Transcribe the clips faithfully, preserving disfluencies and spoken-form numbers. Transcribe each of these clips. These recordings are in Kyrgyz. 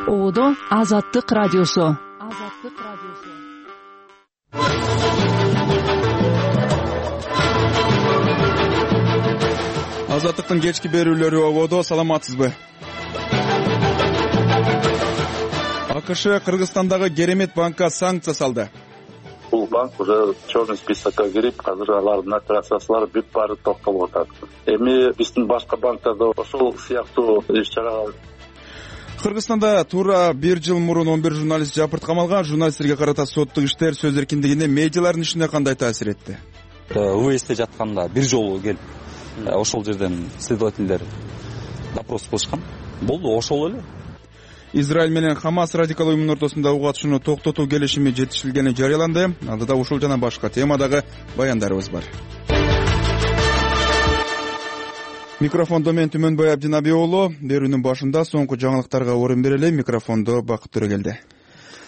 Ободо Азаттык радиосу. Азаттык радиосу. Азаттыктын кечки берүүлөрү ободо. Саламатсызбы? АКШ Кыргызстандагы Керемет банкка санкция салды. Бул банк уже черный списокко кирип, азыр алардын операциялары бүт баары токтолуп атат. Эми биздин башка банктарда ошол сыяктуу иш-чарага. Кыргызстанда туура бир жыл мурун он бир журналист жапырт камалган. Журналисттерге карата соттук иштер сөз эркиндигине, медиалардын ишине кандай таасир этти? УЭСте жатканда бир жолу келип, ошол жерден следовательдер допрос кылышкан. Болду, ошол эле. Израиль менен Хамас радикал уюмунун ортосунда угуу атышууну токтотуу келишими жетишилгени жарыяланды. Алдыда ушул жана башка темадагы баяндарыбыз бар. Микрофондо мен Түмөнбай Абдинаби уулу. Берүүнүн башында соңку жаңылыктарга орун берели. Микрофондо Бакыт Төрөгелди.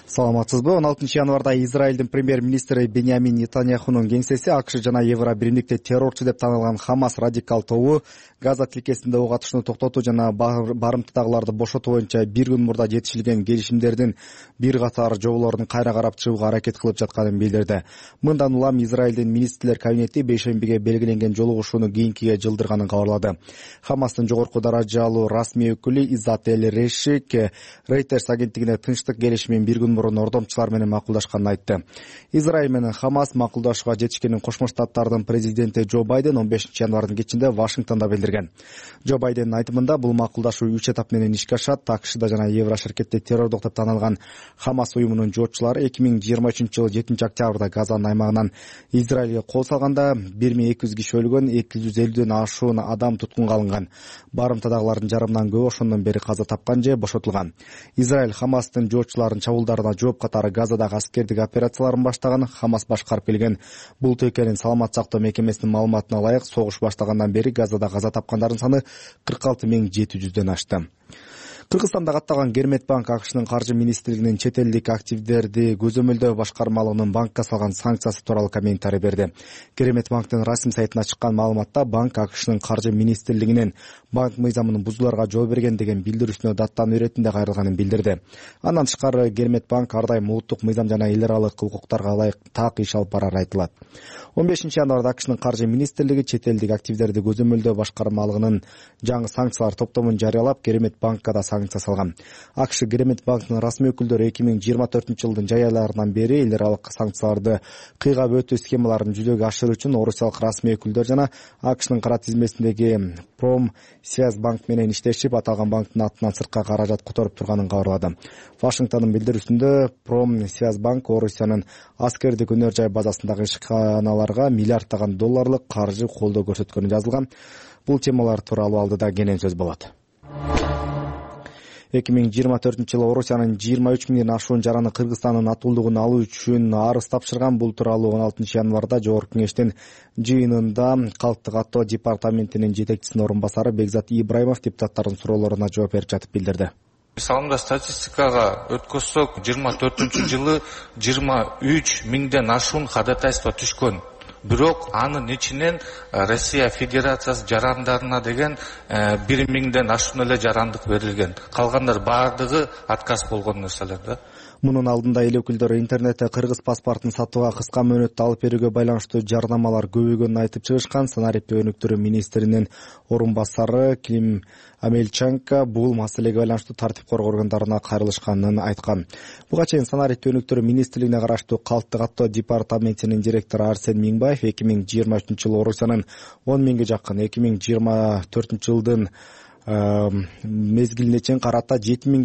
Саламатсызбы? он алтынчы январда Израилдин премьер-министри Беньямин Нетаньяхунун кеңсеси АКШ жана Евро биримдикте террорчу деп танылган Хамас радикал тобу Газа тилкесинде ок атышууну токтотуу жана барымтадагыларды бошотуу боюнча бир күн мурда жетишилген келишимдердин бир катар жоболорун кайра карап чыгууга аракет кылып жатканын билдирди. Мындан улам Израилдин министрлер кабинети бейшембиге белгиленген жолугушууну кийинкиге жылдырганын кабарлады. Хамастын жогорку даражалуу расмий өкүлү Иззат эль Решик Reuters агенттигине тынчтык келишимин бир күн мурун ордомчулар менен макулдашканын айтты. Израиль менен Хамас макулдашууга жетишкенин Кошмо Штаттардын президенти Джо Байден он бешинчи январдын кечинде Вашингтондо билдирген. Джо Байдендин айтымында бул макулдашуу үч этап менен ишке ашат. АКШда жана Евро ширкетте террордук деп танылган Хамас уюмунун жоочулары эки миң жыйырма үчүнчү жылы жетинчи октябрда Газанын аймагынан Израилге кол салганда бир миң эки жүз киши өлгөн, эки жүз элүүдөн ашуун адам туткунга алынган. Барымтадагылардын жарымынан көбү ошондон бери каза тапкан же бошотулган. Израиль Хамастын жоочуларынын чабуулдарына жооп катары Газадагы аскердик операцияларын баштаган. Хамас башкарып келген бул текенин саламат сактоо мекемесинин маалыматына ылайык согуш баштагандан бери Газада каза тапкандардын саны кырк алты миң жети жүздөн ашты. Кыргызстанда катталган Керемет банк АКШнын каржы министрлигинин чет элдик активдерди көзөмөлдөө башкармалыгынын банкка салган санкциясы тууралуу комментарий берди. Керемет банктын расмий сайтына чыккан маалыматта банк АКШнын каржы министрлигинин банк мыйзамынын бузууларга жол берген деген билдирүүсүнө даттануу иретинде кайрылганын билдирди. Андан тышкары Керемет банк ар дайым улуттук мыйзам жана эл аралык укуктарга ылайык так иш алып барары айтылат. он бешинчи январда АКШнын каржы министрлиги чет элдик активдерди көзөмөлдөө башкармалыгынын жаңы санкциялар топтомун жарыялап, Керемет банкка да санкция салган. АКШ Керемет банктын расмий өкүлдөрү эки миң жыйырма төртүнчү жылдын жай айларынан бери эл аралык санкцияларды кыйгап өтүү схемаларын жүзөгө ашыруу үчүн орусиялык расмий өкүлдөр жана АКШнын кара тизмесиндеги Промсвязьбанк менен иштешип, аталган банктын атынан сыртка каражат которуп турганын кабарлады. Вашингтондун билдирүүсүндө Промсвязьбанк Орусиянын аскердик өнөр жай базасындагы ишканаларга миллиарддаган долларлык каржы колдоо көрсөткөнү жазылган. Бул темалар тууралуу алдыда кенен сөз болот. эки миң жыйырма төртүнчү жылы Орусиянын жыйырма үч миңден ашуун жараны Кыргызстандын атуулдугун алуу үчүн арыз тапшырган. Бул тууралуу он алтынчы январда Жогорку кеңештин жыйынында Калктык аттоо департаментинин жетекчисинин орун басары Бекзат Ибраимов депутаттардын суроолоруна жооп берип жатып билдирди. Мисалында статистикага өткөзсөк, жыйырма төртүнчү жылы жыйырма үч миңден ашуун ходатайство түшкөн. Бирок анын ичинен Россия Федерациясы жарандарына деген бир миңден ашуун эле жарандык берилген. Калгандар баардыгы отказ болгон нерселер да. Мунун алдында эл өкүлдөрү интернетте кыргыз паспортун сатууга кыска мөөнөттө алып берүүгө байланыштуу жардамалар көбөйгөнүн айтып чыгышкан. Санариптөө өнүктүрүү министринин орун басары Клим Амельченко бул маселеге байланыштуу тартип коргоо органдарына кайрылышканын айткан. Буга чейин Санариптөө өнүктүрүү министрлигине караштуу Калктык аттоо департаментинин директору Арсен Миңбаев эки миң жыйырма үчүнчү жылы Орусиянын он миңге жакын, эки миң жыйырма төртүнчү жылдын мезгилине чейин карата жети миң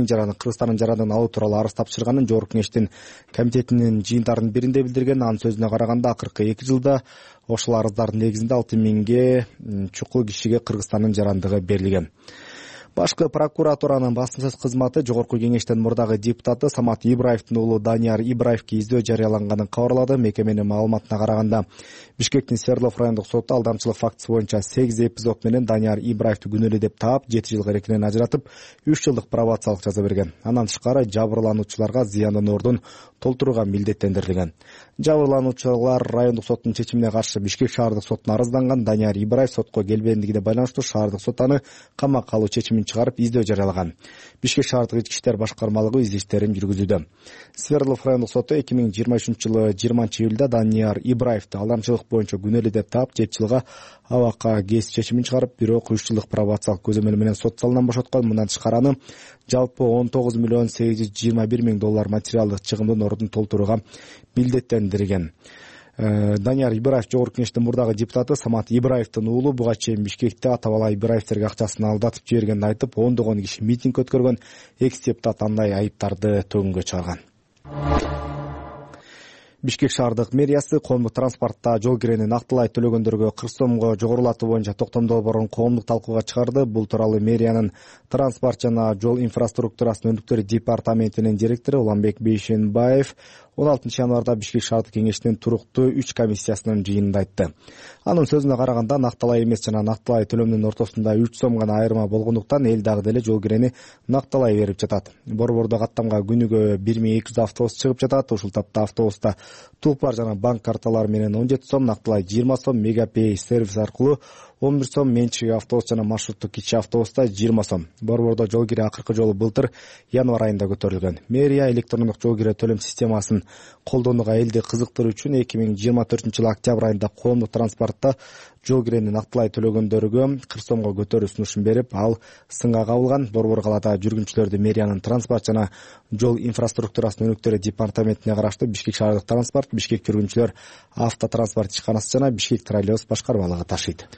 жараны Кыргызстандын жарандыгын алуу тууралуу арыз тапшырганын Жогорку кеңештин комитетинин жыйындарынын биринде билдирген. Анын сөзүнө караганда акыркы эки жылда ошол арыздардын негизинде алты миңге чукул кишиге Кыргызстандын жарандыгы берилген. Башкы прокуратуранын басма кызматы Жогорку кеңештин мурдагы депутаты Самат Ибраевдин уулу Данияр Ибраевге издөө жарыяланганын кабарлады. Мекеменин маалыматына караганда Бишкектин Свердлов райондук соту алдамчылык фактысы боюнча сегиз эпизод менен Данияр Ибраевди күнөөлүү деп таап, жети жылга эркинен ажыратып, үч жылдык пробациялык жаза берген. Андан тышкары жабырлануучуларга зыяндын ордун толтурууга милдеттендирилген. Жабырлануучулар райондук соттун чечимине каршы Бишкек шаардык сотуна арызданған. Данияр Ибраев сотко келбегендигине байланыштуу шаардык сот аны камакка алуу чечимин чыгарып, издөө жарыялаган. Бишкек шаардык ички иштер башкармалыгы издештерин жүргүзүүдө. Свердлов райондук соту эки миң жыйырма үчүнчү жылы жыйырманчы июлда Данияр Ибраевди алдамчылык боюнча күнөөлүү деп таап, жети жылга абакка кесип чечимин чыгарып, бирок үч жылдык пробациялык көзөмөл менен сот залынан бошоткон. Мындан тышкары аны жалпы он тогуз миллион сегиз жүз жыйырма бир миң доллар материалдык чыгымдын ордун толтурууга милдеттендирген. Данияр Ибраев жогорку кеңештин мурдагы депутаты Самат Ибраевдин уулу буга чейин Бишкекте ата-бала Ибраевдерге акчасын алдатып жибергенин айтып, ондогон киши митинг өткөргөн. Экс-депутат андай айыптарды төгүнгө чыгарган. Бишкек шаардык мэриясы коомдук транспортто жол кирени нактылай төлөгөндөргө кырк сомго жогорулатуу боюнча токтом долбоорун коомдук талкууга чыгарды. Бул тууралуу мэриянын транспорт жана жол инфраструктурасын өнүктүрүү департаментинин директору Уланбек Бейшенбаев он алтынчы январда Бишкек шаардык кеңешинин туруктуу үч комиссиясынын жыйынында айтты. Анын сөзүнө караганда, накталай эмес жана накталай төлөмдүн ортосунда үч сом гана айырма болгондуктан эл дагы деле жол кирени накталай берип жатат. Борбордо каттамга күнүгө бир миң эки жүз автобус чыгып жатат. Ушул тапта автобуста тулпар жана банк карталары менен он жети сом, накталай жыйырма сом, Мегапей сервис аркылуу он бир сом, менчик автобус жана маршруттук кичи автобуста жыйырма сом. Борбордо жол кире акыркы жолу былтыр январь айында көтөрүлгөн. Мэрия электрондук жол кире төлөм системасын колдонууга элди кызыктыруу үчүн эки миң жыйырма төртүнчү жылы октябрь айында коомдук транспортто жол кирени нактылай төлөгөндөргө кырк сомго көтөрүү сунушун берип, ал сынга кабылган. Борбор калаада жүргүнчүлөрдү мэриянын транспорт жана жол инфраструктурасын өнүктүрүү департаментине караштуу Бишкек шаардык транспорт, Бишкек жүргүнчүлөр автотранспорт ишканасы жана Бишкек троллейбус башкармалыгы ташыйт.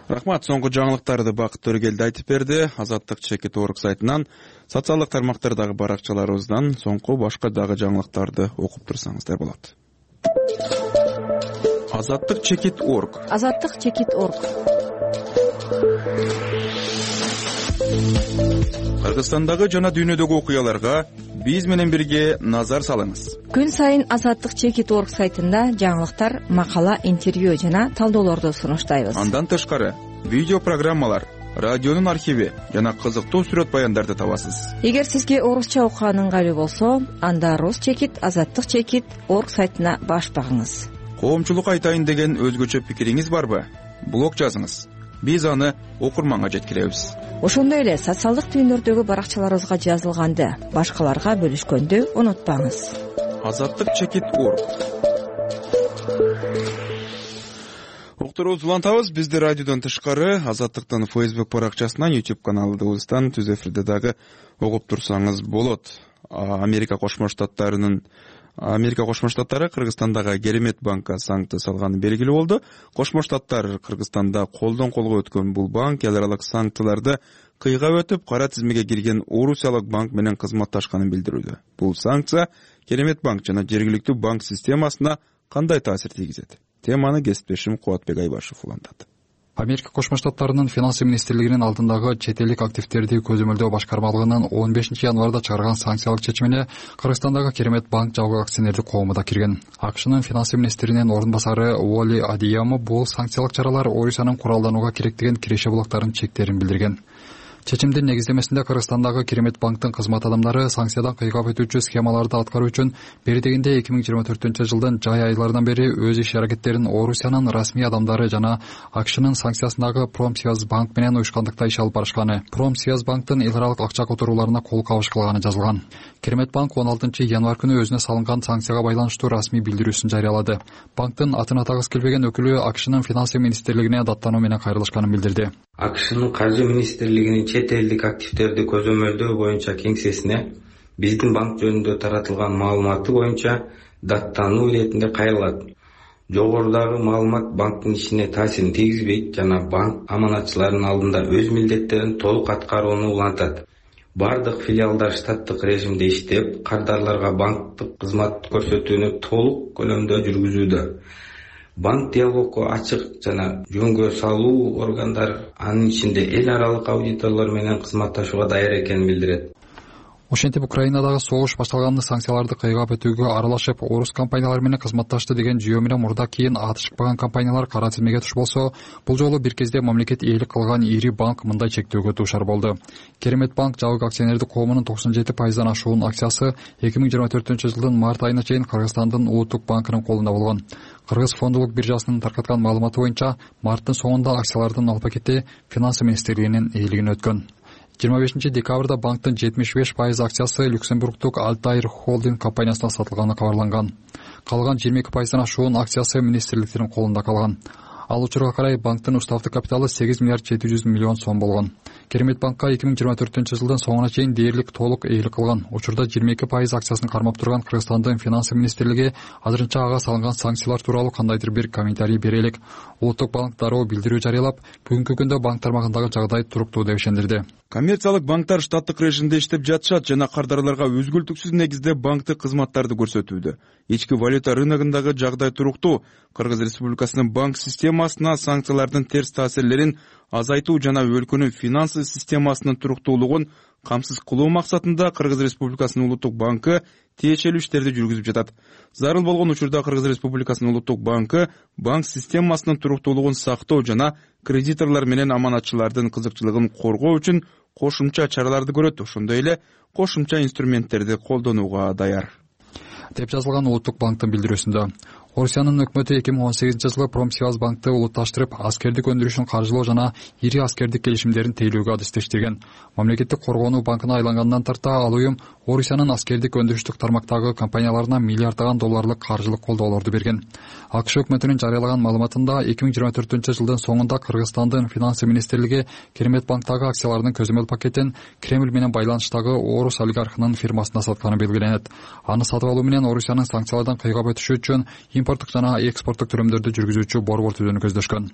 Рахмат. Соңку жаңылыктарды Бакыт Төргелди айтып берди. Азаттык чекит точка орг сайтынан, социалдык тармактардагы баракчаларыбыздан соңку башка дагы жаңылыктарды окуп турсаңыздар болот. Азаттык чекит точка орг. Азаттык чекит точка орг. Кыргызстандагы жана дүйнөдөгү окуяларга биз менен бирге назар салыңыз. Күн сайын Азаттык чекит точка орг сайтында жаңылыктар, макала, интервью жана талдоолорду сунуштайбыз. Андан тышкары видео программалар, радионун архиви жана кызыктуу сүрөт баяндарды табасыз. Эгер сизге орусча окуган ыңгайлуу болсо, анда Рус чекит, Азаттык чекит точка орг сайтына баш багыңыз. Коомчулук айтайын деген өзгөчө пикириңиз барбы? Блог жазыңыз. Биз аны окурманга жеткиребиз. Ошондой эле социалдык түйүндөрдөгү баракчаларыбызга жазылганды башкаларга бөлүшкөндү унутпаңыз. Азаттык чекит точка орг. Уктуруубузду улантабыз. Бизди радиодон тышкары Азаттыктын Facebook баракчасынан, YouTube каналыбыздан түз эфирде дагы угуп турсаңыз болот. Америка Кошмо Штаттарынын Америка Кошмо Штаттары Кыргызстандагы Керемет банкка санкция салганы белгилүү болду. Кошмо Штаттар Кыргызстанда колдон колго өткөн бул банк эл аралык санкцияларды кыйгап өтүп, кара тизмеге кирген Орусиялык банк менен кызматташканын билдирүүдө. Бул санкция Керемет банк жана жергиликтүү банк системасына кандай таасир тийгизет? Теманы кесиптешим Кубатбек Айбашев улантат. Америка Кошмо Штаттарынын финансы министрлигинин алдындагы чет элдик активдерди көзөмөлдөө башкармалыгынын он бешинчи январда чыгарган санкциялык чечимине Кыргызстандагы Керемет банк жалгоо акционердик коому да кирген. АКШнын финансы министринин ордун басары Уолли Адиямо бул санкциялык чаралар Орусиянын куралданууга керектеген киреше булактарын чектерин билдирген. Чечимдин негиздемесинде Кыргызстандагы Керемет банктын кызмат адамдары санкциядан кыйгап өтүүчү схемаларды аткаруу үчүн бери дегенде эки миң жыйырма төртүнчү жылдын жай айларынан бери өз иш аракеттерин Орусиянын расмий адамдары жана АКШнын санкциясындагы Промсвязь банк менен уюшкандыкта иш алып барышканы, Промсвязь банктын эл аралык акча которууларына кол кабыш кылганы жазылган. Керемет банк он алтынчы январь күнү өзүнө салынган санкцияга байланыштуу расмий билдирүүсүн жарыялады. Банктын атын атагысы келбеген өкүлү АКШнын финансы министрлигине даттануу менен кайрылышканын билдирди. АКШнын каржы министрлигинин чет элдик активдерди көзөмөлдөө боюнча кеңсесине биздин банк жөнүндө таратылган маалыматы боюнча даттануу иретинде кайрылат. Жогорудагы маалымат банктын ишине таасирин тийгизбейт жана банк аманатчылардын алдында өз милдеттерин толук аткарууну улантат. Бардык филиалдар штаттык режимде иштеп, кардарларга банктык кызмат көрсөтүүнү толук көлөмдө жүргүзүүдө. Банк диалогго ачык жана жөнгө салуу органдар, анын ичинде эл аралык аудиторлор менен кызматташууга даяр экенин билдирет. Ошентип Украинадагы согуш башталганда санкцияларды кыйгап өтүүгө аралашып, орус компаниялары менен кызматташты деген жүйө менен мурда кийин аты чыкпаган компаниялар кара тизмеге туш болсо, бул жолу бир кезде мамлекет ээлик кылган ири банк мындай чектөөгө дуушар болду. Керемет банк жабык акционердик коомунун токсон жети пайыздан ашуун акциясы эки миң жыйырма төртүнчү жылдын март айына чейин Кыргызстандын Улуттук банкынын колунда болгон. Кыргыз фондулук биржасынын таркаткан маалыматы боюнча, марттын соңунда акциялардын ал пакети Финансы министрлигинин ээлигине өткөн. жыйырма бешинчи декабрда банктын жетимиш беш пайыз акциясы Люксембургдук Альтаир холдинг компаниясына сатылганы кабарланган. Калган жыйырма эки пайыздан ашуун акциясы министрликтердин колунда калган. Ал учурга карай банктын уставдык капиталы сегиз миллиард жети жүз миллион сом болгон. Керемет банкка эки миң жыйырма төртүнчү жылдын соңуна чейин дээрлик толук ээлик кылган. Учурда жыйырма эки пайыз акциясын кармап турган Кыргызстандын Финансы министрлиги азырынча ага салынган санкциялар тууралуу кандайдыр бир комментарий бере элек. Улуттук банк дароо билдирүү жарыялап, бүгүнкү күндө банк тармагындагы жагдай туруктуу деп ишендирди. Коммерциялык банктар штаттык режимде иштеп жатышат жана кардарларга өзгөлтүксүз негизде банктык кызматтарды көрсөтүүдө. Ички валюта рыногундагы жагдай туруктуу. Кыргыз Республикасынын банк системасына санкциялардын терс таасирлерин азайтуу жана өлкөнүн финансы системасынын туруктуулугун камсыз кылуу максатында Кыргыз Республикасынын Улуттук банкы тиешелүү иштерди жүргүзүп жатат. Зарыл болгон учурда Кыргыз Республикасынын Улуттук банкы банк системасынын туруктуулугун сактоо жана кредиторлор менен аманатчылардын кызыкчылыгын коргоо үчүн кошумча чараларды көрөт, ошондой эле кошумча инструменттерди колдонууга даяр деп жазылган Улуттук банктын билдирүүсүндө. Орусиянын өкмөтү эки миң он сегизинчи жылы Промсвязьбанкты улутташтырып, аскердик өндүрүшүн каржылоо жана ири аскердик келишимдерин тейлөөгө адистештирген. Мамлекеттик коргонуу банкына айлангандан тарта ал уюм Орусиянын аскердик өндүрүштүк тармактагы компанияларына миллиарддаган долларлык каржылык колдоолорду берген. АКШ өкмөтүнүн жарыялаган маалыматында эки миң жыйырма төртүнчү жылдын соңунда Кыргызстандын Финансы министрлиги Керемет банктагы акциялардын көзөмөл пакетин Кремль менен байланыштагы орус олигархынын фирмасына сатканы белгиленет. Аны сатып алуу менен Орусиянын санкциялардан кыйгап өтүшү үчүн импорттук жана экспорттук төлөмдөрдү жүргүзүүчү борбор түзүүнү көздөшкөн.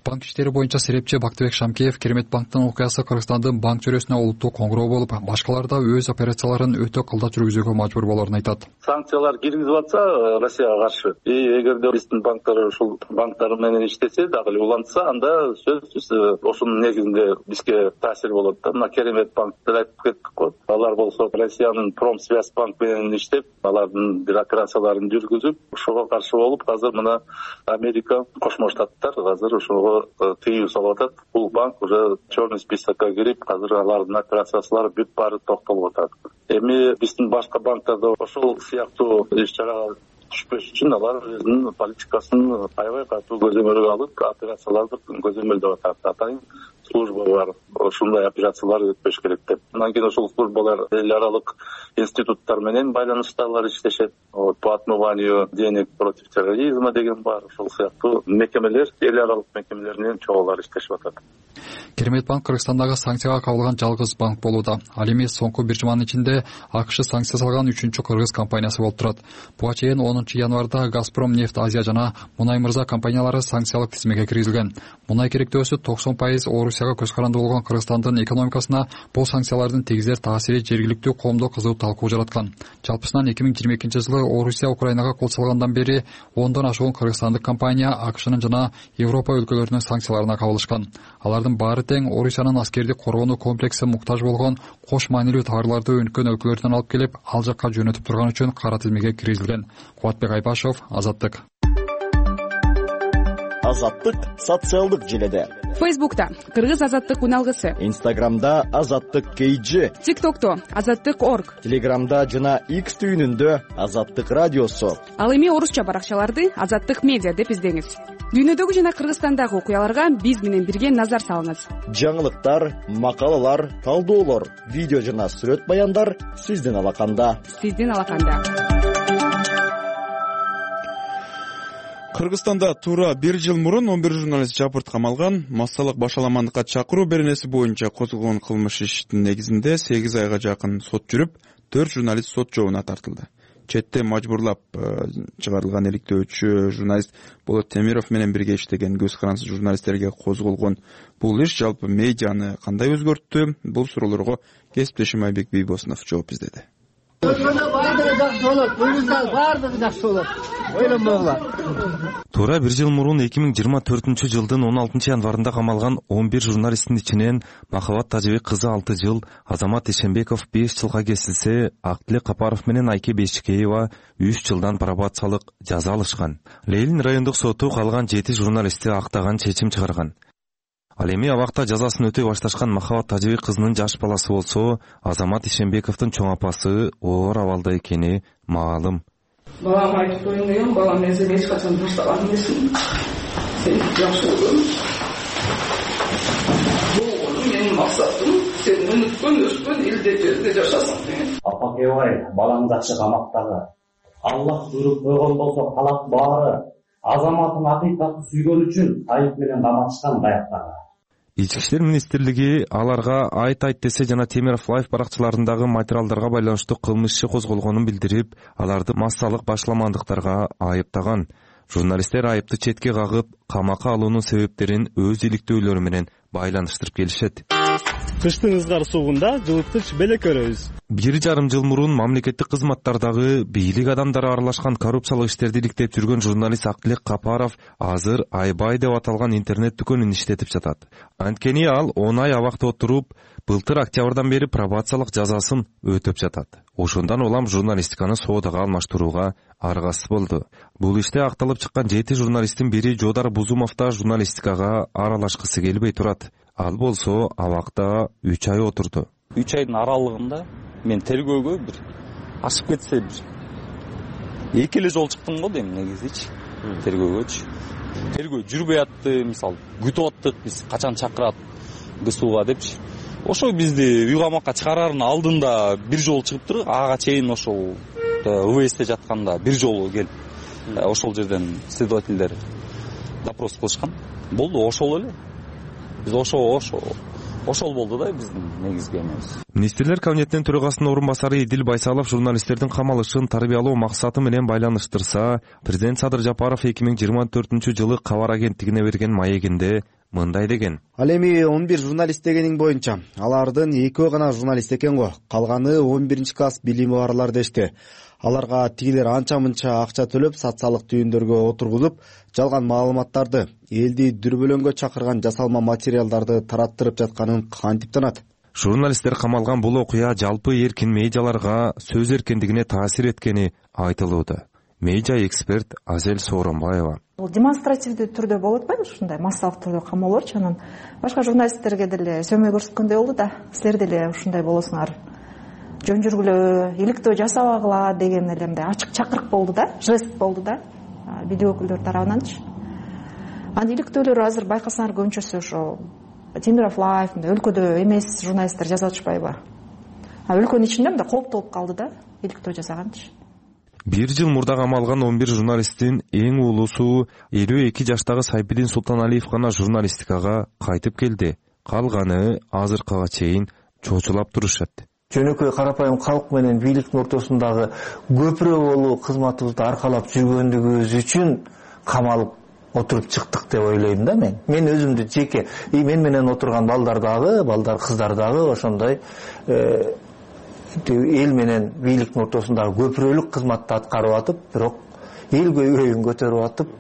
Банк иштери боюнча серепчи Бактыбек Шамкеев Керемет банктын окуясы Кыргызстандын банк чөйрөсүнө улуттуу коңгуроо болуп, башкаларда өз операцияларын өтө кылдат жүргүзүүгө мажбур болоорун айтат. Санкциялар киргизип атса Россияга каршы, и эгерде биздин банктар ушул банктар менен иштесе, дагы эле улантса, анда сөзсүз ошонун негизинде бизге таасир болот да. Мына Керемет банктар айтып кеттик го. Алар болсо Россиянын Промсвязьбанк менен иштеп, алардын бир операцияларын жүргүзүп, ошого каршы болуп, азыр мына Америка, Кошмо Штаттар азыр ошого тыюу салып атат. Бул банк уже черный списокко кирип, азыр алардын операциялары бүт баары токтолуп атат. Эми биздин башка банктарда ошол сыяктуу иш-чарага түшпөш үчүн алар өзүнүн политикасын аябай катуу көзөмөлгө алып, операцияларды көзөмөлдөп атат. Атайын служба бар, ошондой операциялар өтпөш керек деп. Андан кийин ошол службалар эл аралык институттар менен байланыштагылар иштешет. По отмыванию денег против терроризма деген бар, ошол сыяктуу мекемелер, эл аралык мекемелер менен чогулар иштешип атат. Керемет банк Кыргызстандагы санкцияга кабылган жалгыз банк болууда. Ал эми соңку бир жуманын ичинде АКШ санкция салган үчүнчү кыргыз компаниясы болуп турат. Буга чейин онунчу январда Газпром нефть Азия жана Мунай Мырза компаниялары санкциялык тизмеге киргизилген. Мунай керектөөсү токсон пайыз Орусияга көз каранды болгон Кыргызстандын экономикасына бул санкциялардын тийгизер таасири жергиликтүү коомдо кызуу талкуу жараткан. Жалпысынан эки миң жыйырма экинчи жылы Орусия Украинага кол салгандан бери ондон ашуун кыргызстандык компания АКШнын жана Европа өлкөлөрүнүн санкцияларына кабылышкан. Алардын баары тең Орусиянын аскердик коргонуу комплекси муктаж болгон кош маанилүү товарларды өнүккөн өлкөлөрдөн алып келип, ал жакка жөнөтүп турган үчүн кара тизмеге киргизилген. Кубатбек Айбашов, Азаттык. Азаттык социалдык желеде. Фейсбукта Кыргыз Азаттык үналгысы. Инстаграмда Азаттык кейджи. ТикТокто Азаттык орг. Телеграмда жана X түйүнүндө Азаттык радиосу. Ал эми орусча баракчаларды Азаттык медиа деп издеңиз. Дүйнөдөгү жана Кыргызстандагы окуяларга биз менен бирге назар салыңыз. Жаңылыктар, макалалар, талдоолор, видео жана сүрөт баяндар сиздин алаканда. Сиздин алаканда. Кыргызстанда туура бир жыл мурун он бир журналист жапырт камалган. Массалык башаламандыкка чакыруу беренеси боюнча козголгон кылмыш иштин негизинде сегиз айга жакын сот жүрүп, төрт журналист сот жообуна тартылды. Четте мажбурлап чыгарылган иликтөөчү журналист Болот Темиров менен бирге иштеген көз карансыз журналисттерге козголгон бул иш жалпы медианы кандай өзгөрттү? Бул суроолорго кесиптешим Айбек Бийбосунов жооп издеди. баардыгы жакшы болот, буюрса баардыгы жакшы болот. Ойлонбогула. Туура бир жыл мурун эки миң жыйырма төртүнчү жылдын он алтынчы январында камалган он бир журналисттин ичинен Махабат Тажыбек кызы алты жыл, Азамат Ишенбеков беш жылга кесилсе, Актилек Капаров менен Айке Бешикеева үч жылдан пробациялык жаза алышкан. Лейлин райондук соту калган жети журналистти актаган чечим чыгарган. Ал эми абакта жазасын өтөй башташкан Махабат Тажыбек кызынын жаш баласы болсо, Азамат Ишенбековдун чоң апасы оор абалда экени маалым. Балама айтып коеюн дегем, балам мен сени эч качан таштаган эмесмин. Сени жакшы көрөм. Бул менин максатым сен өнүккөн, өскөн элде жерде жашасың деген. Апакебай, балаң жакшы камактагы. Аллах буйруп койгон болсо калат баары. Азаматын акыйкатты сүйгөн үчүн айып менен каматышкан каяктагы. Ички иштер министрлиги аларга айт айт десе жана Темиров Лайф баракчаларындагы материалдарга байланыштуу кылмыш иши козголгонун билдирип, аларды массалык башламандыктарга айыптаган. Журналисттер айыпты четке кагып, камакка алуунун себептерин өз иликтөөлөрү менен байланыштырып келишет. Кыштын ызгар сугунда жылыткыч белек өрөбүз. Бир жарым жыл мурун мамлекеттик кызматтардагы бийлик адамдары аралашкан коррупциялык иштерди иликтеп жүргөн журналист Актилек Капаров азыр Айбай деп аталган интернет дүкөнүн иштетип жатат. Анткени ал он ай абакта отуруп, былтыр октябрдан бери пробациялык жазасын өтөп жатат. Ошондон улам журналистиканы соодага алмаштырууга аргасыз болду. Бул иште акталып чыккан жети журналисттин бири Жодар Бузумов да журналистикага аралашкысы келбей турат. Ал болсо абакта үч ай отурду. үч айдын аралыгында мен тергөөгө бир ашып кетсе бир эки эле жолу чыктым го дейм негизичи. Тергөөгөчү. Тергөө жүрбөй атты, мисалы, күтүп аттык, биз качан чакырат ГСУга депчи. Ошо бизди үй камакка чыгарардын алдында бир жолу чыгып туруп, ага чейин ошол ВВСте жатканда бир жолу келип, ошол жерден следовательдер допрос кылышкан. Болду, ошол эле. Биз ошо ошо ошол болду да биздин негизги эмебиз. Министрлер кабинетинин төрагасынын орун басары Идил Байсалов журналисттердин камалышын тарбиялоо максаты менен байланыштырса, президент Садыр Жапаров эки миң жыйырма төртүнчү жылы кабар агенттигине берген маегинде мындай деген. Ал эми он бир журналист дегениң боюнча, алардын экөө гана журналист экен го. Калганы он биринчи класс билими барлар дешти. Аларга тигилер анча-мынча акча төлөп, социалдык түйүндөргө отургузуп, жалган маалыматтарды, элди дүрбөлөңгө чакырган жасалма материалдарды тараттырып жатканын кантип танат? Журналисттер камалган бул окуя жалпы эркин медиаларга сөз эркиндигине таасир эткени айтылууда. Медиа эксперт Азел Сооронбаева. Бул демонстративдүү түрдө болуп атпайбы ушундай массалык түрдө камоолорчу, анан башка журналисттерге деле сөмөй көрсөткөндөй болду да. Силер деле ушундай болосуңар. Жөн жүргүлө, иликтөө жасабагыла деген эле мындай ачык чакырык болду да, жест болду да, бийлик өкүлдөрү тарабынанчы. Анан иликтөөлөр азыр байкасаңар көбүнчөсү ошо Темиров Лайф, өлкөдө эмес журналисттер жазып атышпайбы? А өлкөнүн ичинде мындай кооптолуп калды да, иликтөө жасаганчы. Бир жыл мурда камалган он бир журналисттин эң улуусу элүү эки жаштагы Сайбидин Султаналиев гана журналистикага кайтып келди. Калганы азыркыга чейин чочулап турушат. Жөнөкөй карапайым калк менен бийликтин ортосундагы көпүрө болуу кызматыбызды аркалап жүргөндүгүбүз үчүн камалып отуруп чыктык деп ойлойм да мен. Мен өзүмдү жеке, и мен менен отурган балдар дагы, балдар кыздар дагы ошондой эл менен бийликтин ортосундагы көпүрөлүк кызматты аткарып атып, бирок эл көйгөйүн көтөрүп атып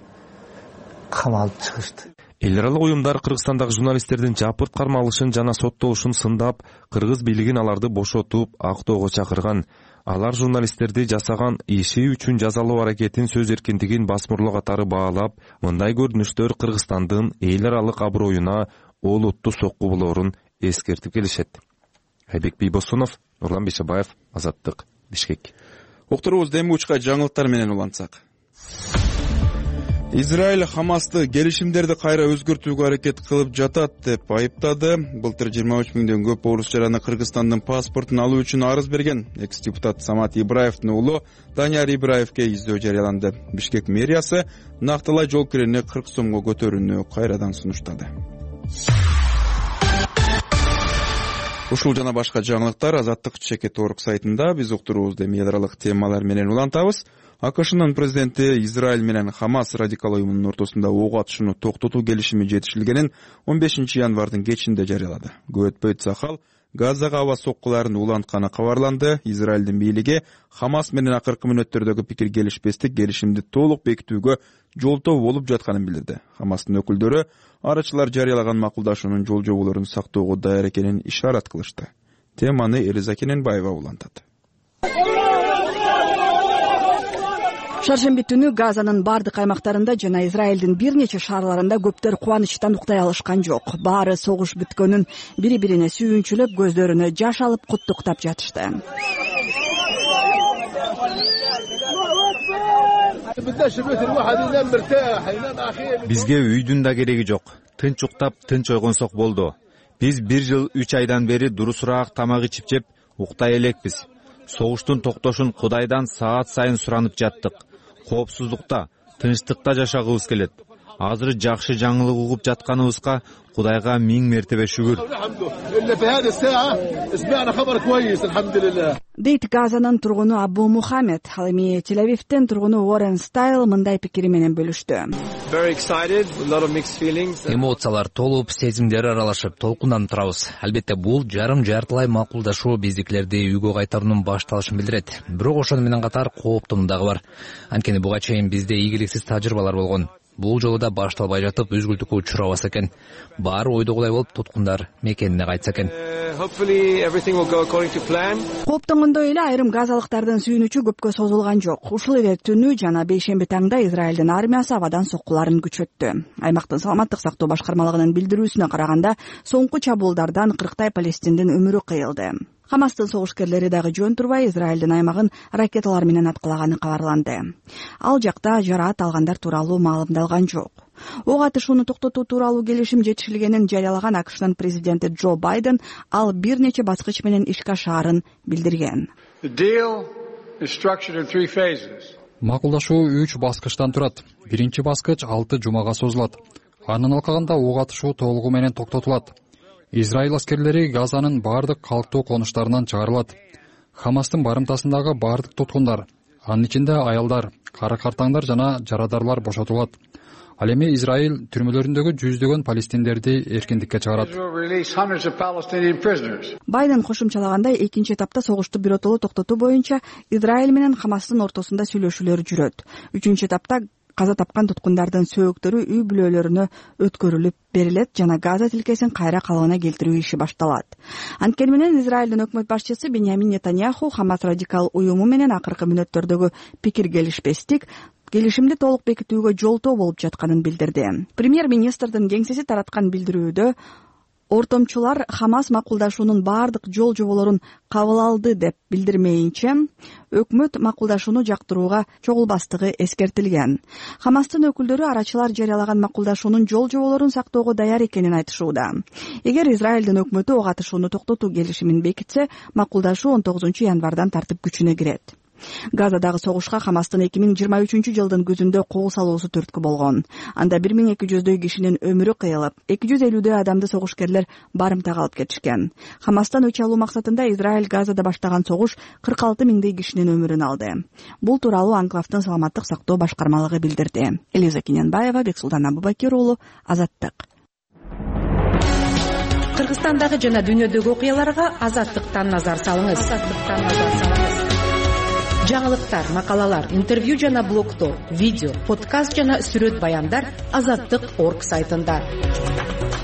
камалып чыгышты. Эл аралык уюмдар Кыргызстандагы журналисттердин жапырт кармалышын жана соттолушун сындап, кыргыз бийлигин аларды бошотуп, актоого чакырган. Алар журналисттерди жасаган иши үчүн жазалоо аракетин, сөз эркиндигин басмырлоо катары баалап, мындай көрүнүштөр Кыргызстандын эл аралык аброюна олуттуу сокку болоорун эскертип келишет. Айбек Бийбосунов, Нурлан Бейшебаев, Азаттык, Бишкек. Уктуруубузду эми учка жаңылыктар менен улантсак. Израиль Хамасты келишимдерди кайра өзгөртүүгө аракет кылып жатат деп айыптады. Былтыр жыйырма үч миңден көп орус жараны Кыргызстандын паспортун алуу үчүн арыз берген. Экс-депутат Самат Ибраевдин уулу Данияр Ибраевге издөө жарыяланды. Бишкек мэриясы нактылай жол кирени кырк сомго көтөрүүнү кайрадан сунуштады. Ушул жана башка жаңылыктар Азаттык чекит орг сайтында. Биз уктуруубузду эми эл аралык темалар менен улантабыз. АКШнын президенти Израиль менен Хамас радикал уюмунун ортосунда ок атышууну токтотуу келишими жетишилгенин он бешинчи январдын кечинде жарыялады. Көп өтпөй Цахал Газага аба соккуларын улантканы кабарланды. Израилдин бийлиги Хамас менен акыркы мүнөттөрдөгү пикир келишпестик келишимди толук бекитүүгө жолтоо болуп жатканын билдирди. Хамастын өкүлдөрү арачылар жарыялаган макулдашуунун жол жоболорун сактоого даяр экенин ишарат кылышты. Теманы Элиза Кененбаева улантат. Шаршемби түнү Газанын бардык аймактарында жана Израилдин бир нече шаарларында көптөр кубанычтан уктай алышкан жок. Баары согуш бүткөнүн бири-бирине сүйүнчүлөп, көздөрүнө жаш алып куттуктап жатышты. Бизге үйдүн да кереги жок. Тынч уктап, тынч ойгонсок болду. Биз бир жыл үч айдан бери дурусураак тамак ичип жеп уктай элекпиз. Согуштун токтошун Кудайдан саат сайын суранып жаттык. Коопсуздукта, тынчтыкта жашагыбыз келет. Азыр жакшы жаңылык угуп жатканыбызга Кудайга миң мертебе шүгүр. Дейт Газанын тургуну Абу Мухаммед. Ал эми Тель-Авивден тургуну Уоррен Стайл мындай пикири менен бөлүштү. Эмоциялар толуп, сезимдер аралашып, толкунданып турабыз. Албетте бул жарым жартылай макулдашуу биздикилерди үйгө кайтаруунун башталышын билдирет. Бирок ошону менен катар кооптону дагы бар. Анткени буга чейин бизде ийгиликсиз тажрыйбалар болгон. Бул жолу да башталбай жатып үзгүлтүккө учурабаса экен. Баары ойдогудай болуп, туткундар мекенине кайтса экен. Кооптонгондой эле айрым газалыктардын сүйүнүчү көпкө созулган жок. Ушул эле түнү жана бейшемби таңда Израилдин армиясы абадан соккуларын күчөттү. Аймактын саламаттык сактоо башкармалыгынын билдирүүсүнө караганда, соңку чабуулдардан кырктай палестиндин өмүрү кыйылды. Хамастын согушкерлери дагы жөн турбай Израилдин аймагын ракеталар менен аткылаганы кабарланды. Ал жакта жараат алгандар тууралуу маалымдалган жок. Ок атышууну токтотуу тууралуу келишим жетишилгенин жарыялаган АКШнын президенти Джо Байден ал бир нече баскыч менен ишке ашаарын билдирген. Макулдашуу үч баскычтан турат. Биринчи баскыч алты жумага созулат. Анын алкагында ок атышуу толугу менен токтотулат. Израиль аскерлери Газанын бардык калктуу конуштарынан чыгарылат. Хамастын барымтасындагы бардык туткундар, анын ичинде аялдар, кара-картаңдар жана жарадарлар бошотулат. Ал эми Израиль түрмөлөрүндөгү жүздөгөн палестиндерди эркиндикке чыгарат. Байден кошумчалагандай, экинчи этапта согушту биротоло токтотуу боюнча Израиль менен Хамастын ортосунда сүйлөшүүлөр жүрөт. Үчүнчү этапта каза тапкан туткундардын сөөктөрү үй бүлөлөрүнө өткөрүлүп берилет жана Газа тилкесин кайра калыбына келтирүү иши башталат. Анткени менен Израилдин өкмөт башчысы Беньямин Нетаньяху Хамас радикал уюму менен акыркы мүнөттөрдөгү пикир келишпестик келишимди толук бекитүүгө жолтоо болуп жатканын билдирди. Премьер-министрдин кеңсеси тараткан билдирүүдө ортомчулар Хамас макулдашуунун бардык жол жоболорун кабыл алды деп билдирмейинче, өкмөт макулдашууну жактырууга чогулбастыгы эскертилген. Хамастын өкүлдөрү арачылар жарыялаган макулдашуунун жол жоболорун сактоого даяр экенин айтышууда. Эгер Израилдин өкмөтү ок атышууну токтотуу келишимин бекитсе, макулдашуу он тогузунчу январдан тартып күчүнө кирет. Газадагы согушка Хамастын эки миң жыйырма үчүнчү жылдын күзүндө кол салуусу түрткү болгон. Анда бир миң эки жүздөй кишинин өмүрү кыйылып, эки жүз элүүдөй адамды согушкерлер барымтага алып кетишкен. Хамастан өч алуу максатында Израиль Газада баштаган согуш кырк алты миңдей кишинин өмүрүн алды. Бул тууралуу анклавдын саламаттык сактоо башкармалыгы билдирди. Элиза Кененбаева, Бексултан Абубакир уулу, Азаттык. Кыргызстандагы жана дүйнөдөгү окуяларга Азаттыктан назар салыңыз. Азаттыктан назар салыңыз. Жаңылыктар, макалалар, интервью жана блогтор, видео, подкаст жана сүрөт баяндар азаттык точка орг сайтында.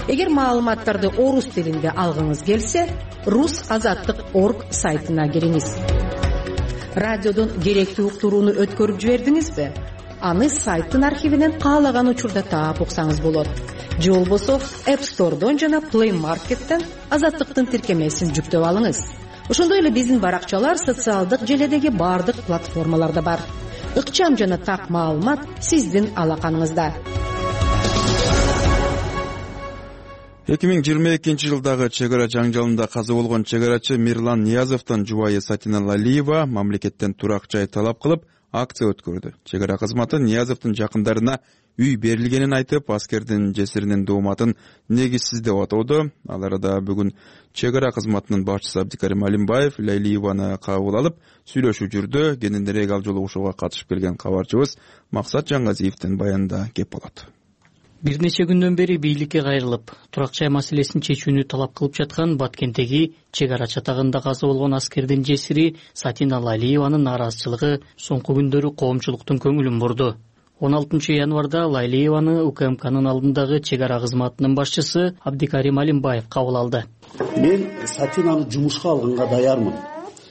Эгер маалыматтарды орус тилинде алгыңыз келсе, рус азаттык точка орг сайтына кириңиз. Радиодон керектүү уктурууну өткөрүп жибердиңизби? Аны сайттын архивинен каалаган учурда таап уксаңыз болот. Же болбосо App Store'дон жана Play Market'тен азаттыктын тиркемесин жүктөп алыңыз. Ошондой эле биздин баракчалар социалдык желедеги бардык платформаларда бар. Ыкчам жана так маалымат сиздин алаканыңызда. эки миң жыйырма экинчи жылдагы чек ара жаңжалында каза болгон чек арачы Мирлан Ниязовдун жубайы Сатина Лалиева мамлекеттен турак жай талап кылып акция өткөрдү. Чек ара кызматы Ниязовдун жакындарына үй берилгенин айтып, аскердин жесиринин дооматын негизсиз деп атоодо. Ал арада бүгүн чек ара кызматынын башчысы Абдикарим Алимбаев Лалиеваны кабыл алып сүйлөшүү жүрдү. Кененирээк ал жолугушууга катышып келген кабарчыбыз Максат Жаңгазиевдин баянында кеп болот. Бир нече күндөн бери бийликке кайрылып, турак жай маселесин чечүүнү талап кылып жаткан Баткендеги чек ара чатагында каза болгон аскердин жесири Сатина Лайлиеванын нааразычылыгы соңку күндөрү коомчулуктун көңүлүн бурду. он алтынчы январда Лайлиеваны УКМКнын алдындагы чек ара кызматынын башчысы Абдикарим Алимбаев кабыл алды. Мен Сатинаны жумушка алганга даярмын.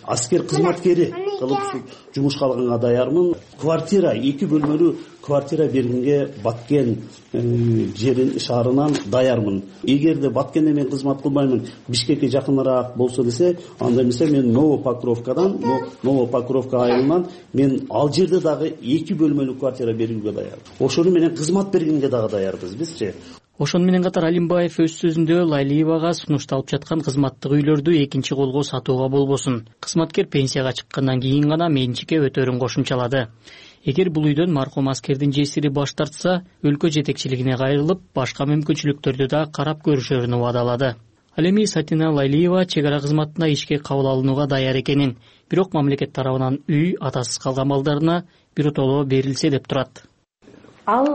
Аскер кызматкери кылып жумушка алганга даярмын. Квартира, эки бөлмөлүү квартира бергенге Баткен жерин шаарынан даярмын. Эгерде Баткенде мен кызмат кылбаймын, Бишкекке жакыныраак болсо десе, анда эмесе мен Новопокровкадан, Новопокровка айылынан мен ал жерде дагы эки бөлмөлүү квартира берүүгө даяр. Ошону менен кызмат бергенге дагы даярбыз бизчи. Ошону менен катар Алимбаев өз сөзүндө Лайлиевага сунушталып жаткан кызматтык үйлөрдү экинчи колго сатууга болбосун. Кызматкер пенсияга чыккандан кийин гана менчикке өтөрүн кошумчалады. Эгер бул үйдөн маркум аскердин жесири баш тартса, өлкө жетекчилигине кайрылып, башка мүмкүнчүлүктөрдү да карап көрүшөрүн убадалады. Ал эми Сатина Лайлиева чек ара кызматына ишке кабыл алынууга даяр экенин, бирок мамлекет тарабынан үй атасыз калган балдарына биротоло берилсе деп турат. Ал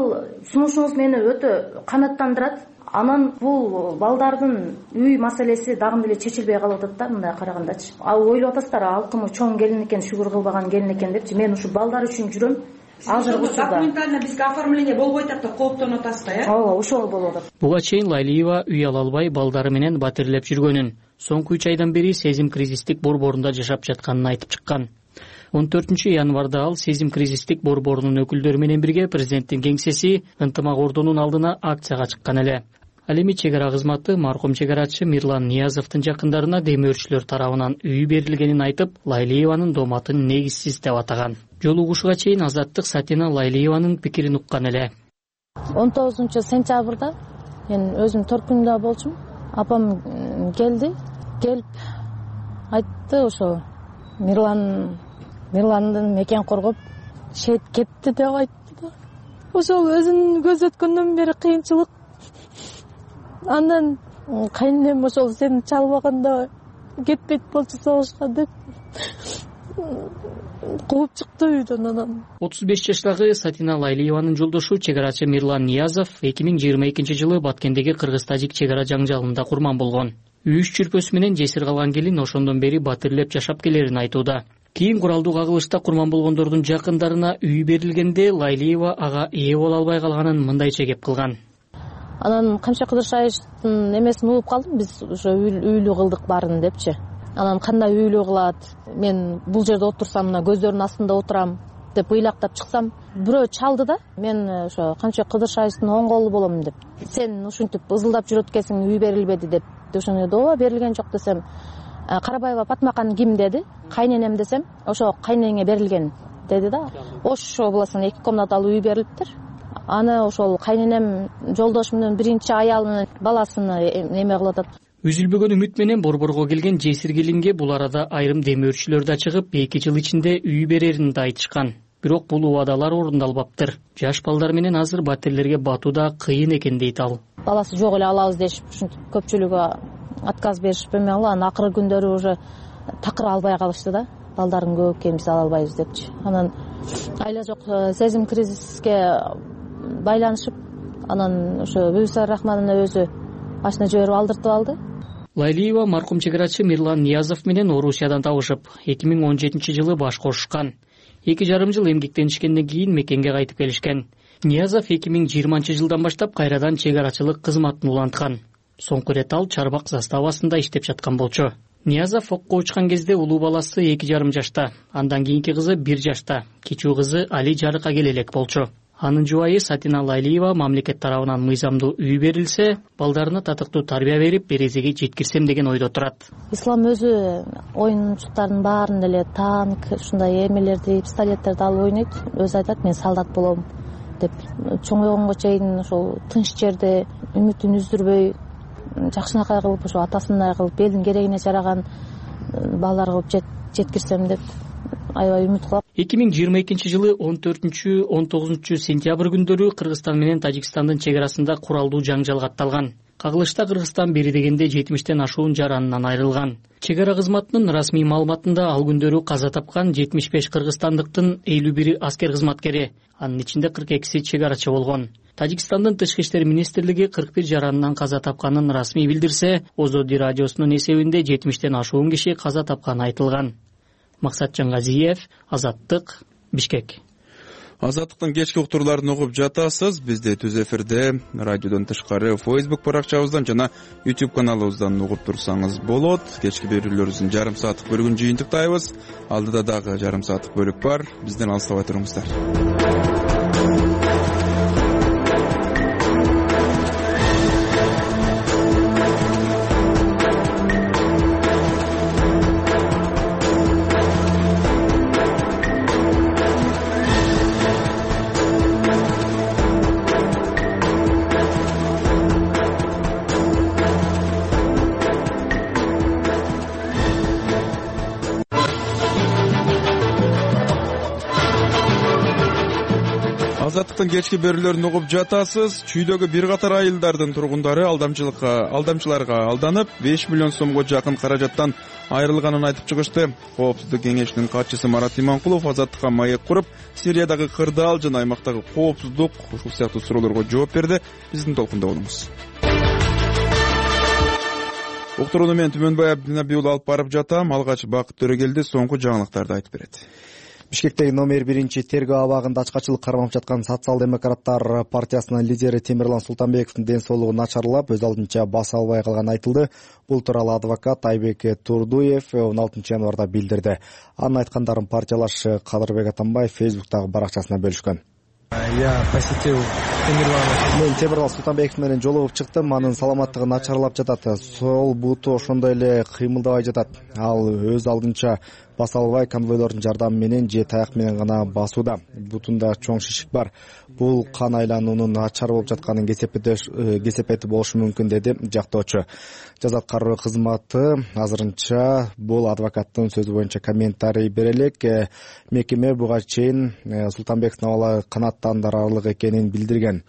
сунушуңуз мени өтө канааттандырат. Анан бул балдардын үй маселеси дагы деле чечилбей калып атат да, мындай карагандачы. Ал ойлоп атасыздар, алкымы чоң келин экен, шүгүр кылбаган келин экен депчи. Мен ушу балдар үчүн жүрөм. Азыр учурда документально бизге оформление болбой атат да, кооптонуп атасыз да, э? Ооба, ошол болуп атат. Буга чейин Лайлиева үй ала албай балдары менен батирлеп жүргөнүн, соңку үч айдан бери сезим кризистик борборунда жашап жатканын айтып чыккан. он төртүнчү январда ал сезим кризистик борборунун өкүлдөрү менен бирге президенттин кеңсеси ынтымак ордунун алдына акцияга чыккан эле. Ал эми чек ара кызматы маркум чек арачы Мирлан Ниязовдун жакындарына демөөрчүлөр тарабынан үй берилгенин айтып, Лайлиеванын дооматын негизсиз деп атаган. Жол угушуга чейин Азаттык Сатина Лайлиеванын пикирин уккан эле. он тогузунчу сентябрда мен өзүм Торкунда болчумун. Апам келди, келип айтты, ошо Мирлан Мирландын мекен коргоп шейт кетти деп айтты да. Ошол өзүнүн көзөткөндөн бери кыйынчылык. Андан кайненем ошол сени чалбаганда кетпейт болчу согушка деп кууп чыкты үйдөн. Анан отуз беш жаштагы Сатина Лайлиеванын жолдошу чек арачы Мирлан Ниязов эки миң жыйырма экинчи жылы Баткендеги кыргыз-тажик чек ара жаңжалында курман болгон. Үй чүрпөсү менен жесир калган келин ошондон бери батирлеп жашап келерин айтууда. Кийин куралдуу кагылышта курман болгондордун жакындарына үй берилгенде Лайлиева ага ээ боло албай калганын мындайча кеп кылган. Анан Камча Кыдыршаевдин эмесин угуп калдым, биз ошо үйлүү кылдык баарын депчи. Анан кандай үйлүү кылат, мен бул жерде отурсам мына көздөрүнүн астында отурам деп ыйлактап чыксам, бирөө чалды да, мен ошо Камча Кыдыршаевдин оң колу болом деп. Сен ушинтип ызылдап жүрөт экенсиң, үй берилбеди деп. Ошону ооба берилген жок десем, Карабаева Патмакан ким деди? Кайненем десем, ошо кайнеңе берилген деди да. Ошо болосуң эки комнаталуу үй берилиптир. Аны ошол кайненем жолдош менен биринчи аял менен баласыны эме кылып атат. Үзүлбөгөн үмүт менен борборго келген жесир келинге бул арада айрым демөөрчүлөр да чыгып, эки жыл ичинде үй берерин да айтышкан. Бирок бул убадалар орундалбаптыр. Жаш балдар менен азыр батирлерге батууда кыйын экен дейт ал. Баласы жок эле алабыз дешип, ушинтип көпчүлүгү отказ беришип эме кылып, анан акыркы күндөрү уже такыр албай калышты да. Балдарын көп экен, биз ала албайбыз депчи. Анан айла жок сезим кризиске байланышып, анан ошо Бүйсар Рахманова өзү машина жиберип алдыртып алды. Лайлиева маркум чек арачы Мирлан Ниязов менен Орусиядан табышып, эки миң он жетинчи жылы баш кошушкан. Эки жарым жыл эмгектенишкенден кийин мекенге кайтып келишкен. Ниязов эки миң жыйырманчы жылдан баштап кайрадан чек арачылык кызматын уланткан. Соңку ирет ал Чарбак заставасында иштеп жаткан болчу. Ниязов окко учкан кезде улуу баласы эки жарым жашта, андан кийинки кызы бир жашта, кичүү кызы Али жарыкка келе элек болчу. Анын жубайы Сатина Лайлиева мамлекет тарабынан мыйзамдуу үй берилсе, балдарына татыктуу тарбия берип, березеге жеткирсем деген ойдо турат. Ислам өзү оюнчуктардын баарын эле танк, ушундай эмелерди, пистолеттерди алып ойнойт. Өзү айтат, мен солдат болом деп. Чоңойгонго чейин ошол тынч жерде үмүтүн үздүрбөй, жакшынакай кылып, ошо атасындай кылып, элдин керегине жараган балдар кылып жеткирсем деп аябай үмүт кылам. эки миң жыйырма экинчи жылы он төртүнчү он тогузунчу сентябрь күндөрү Кыргызстан менен Тажикстандын чек арасында куралдуу жаңжал катталган. Кагылышта Кыргызстан бери дегенде жетимиштен ашуун жаранынан айрылган. Чек ара кызматынын расмий маалыматында ал күндөрү каза тапкан жетимиш беш кыргызстандыктын элүү бири аскер кызматкери, анын ичинде кырк экиси чек арачы болгон. Тажикстандын Тышкы иштер министрлиги кырк бир жаранынан каза тапканын расмий билдирсе, Озоди радиосунун эсебинде жетимиштен ашуун киши каза тапканы айтылган. Максатжан Газиев, Азаттык, Бишкек. Азаттыктын кечки уктурларын угуп жатасыз. Бизди түз эфирде радиодон тышкары Facebook баракчабыздан жана YouTube каналыбыздан угуп турсаңыз болот. Кечки берүүлөрүбүздүн жарым сааттык бөлүгүн жыйынтыктайбыз. Алдыда дагы жарым сааттык бөлүк бар. Бизден алыстабай туруңуздар. Азаттыктын кечки берүүлөрүн угуп жатасыз. Чүйдөгү бир катар айылдардын тургундары алдамчылыкка, алдамчыларга алданып, беш миллион сомго жакын каражаттан айрылганын айтып чыгышты. Коопсуздук кеңешинин катчысы Марат Иманкулов Азаттыкка маек куруп, Сириядагы кырдаал жана аймактагы коопсуздук ушул сыяктуу суроолорго жооп берди. Биздин толкунда болуңуз. Уктурууну мен Түмөнбай Абдинабий уулу алып барып жатам. Алгач Бакыт Төрөгелди соңку жаңылыктарды айтып берет. Бишкектеги номер биринчи тергөө абагында ачкачылык кармап жаткан социал-демократтар партиясынын лидери Темирлан Султанбековдун ден соолугу начарлап, өз алдынча баса албай калганы айтылды. Бул тууралуу адвокат Айбек Турдуев он алтынчы январда билдирди. Анын айткандарын партиялаш Кадырбек Атамбаев Фейсбуктагы баракчасына бөлүшкөн. Я посетил Темирлана. Мен Темирлан Султанбеков менен жолугуп чыктым. Анын саламаттыгы начарлап жатат. Сол буту ошондой эле кыймылдабай жатат. Ал өз алдынча баса албай конвойлордун жардамы менен же таяк менен гана басууда. Бутунда чоң шишик бар. Бул кан айлануунун начар болуп жатканын кесепети болушу мүмкүн, деди жактоочу. Жаза аткаруу кызматы азырынча бул адвокаттын сөзү боюнча комментарий бере элек. Мекеме буга чейин Султанбековдун абалы канааттандырарлык экенин билдирген.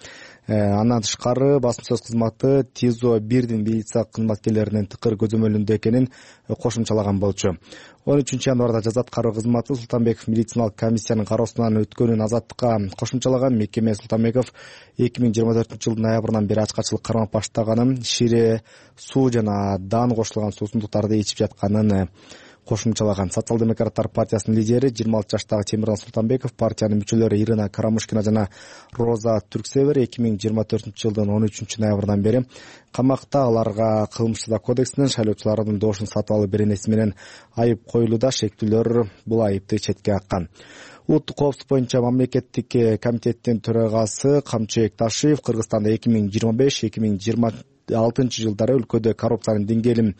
Андан тышкары басма сөз кызматы ТИЗО бирдин милиция кызматкерлеринин тыкыр көзөмөлүндө экенин кошумчалаган болчу. он үчүнчү январда жаза аткаруу кызматы Султанбеков медициналык комиссиянын кароосунан өткөнүн Азаттыкка кошумчалаган. Мекеме Султанбеков эки миң жыйырма төртүнчү жылдын ноябрынан бери ачкачылык кармап баштаганын, шире суу жана дан кошулган суусундуктарды ичип жатканын кошумчалаган. Социал-демократтар партиясынын лидери жыйырма алты жаштагы Темирлан Султанбеков, партиянын мүчөлөрү Ирина Карамушкина жана Роза Түрксевер эки миң жыйырма төртүнчү жылдын он үчүнчү ноябрынан бери камакта. Аларга кылмыш жаза кодексинин шайлоочулардын доошун сатып алуу беренеси менен айып коюлууда. Шектүүлөр бул айыпты четке каккан. Улуттук коопсуздук боюнча мамлекеттик комитеттин төрагасы Камчыбек Ташиев Кыргызстанда эки миң жыйырма беш эки миң жыйырма алтынчы жылдары өлкөдө коррупциянын деңгээлин